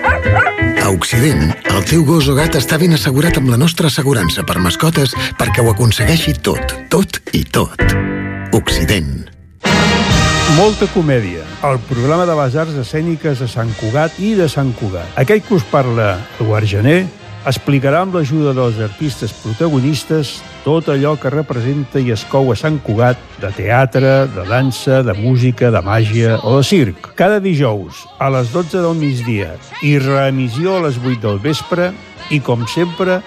A Occident, el teu gos o gat està ben assegurat amb la nostra assegurança per mascotes perquè ho aconsegueixi tot, tot i tot. Occident. Molta comèdia, el programa de les arts escèniques de Sant Cugat i de Sant Cugat. Aquell que us parla, Eduard Gené, explicarà amb l'ajuda dels artistes protagonistes tot allò que representa i es cou a Sant Cugat, de teatre, de dansa, de música, de màgia o de circ. Cada dijous, a les dotze del migdia i reemissió a les vuit del vespre, i com sempre,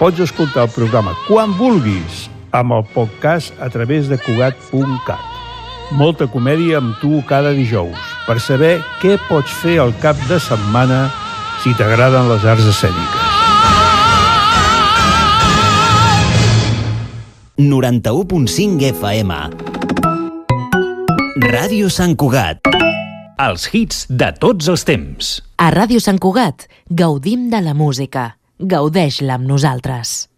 pots escoltar el programa quan vulguis amb el podcast a través de cugat punt cat. Molta comèdia amb tu cada dijous per saber què pots fer al cap de setmana si t'agraden les arts escèniques. noranta-u punt cinc F M. Ràdio Sant Cugat. Els hits de tots els temps. A Ràdio Sant Cugat gaudim de la música. Gaudeix-la amb nosaltres.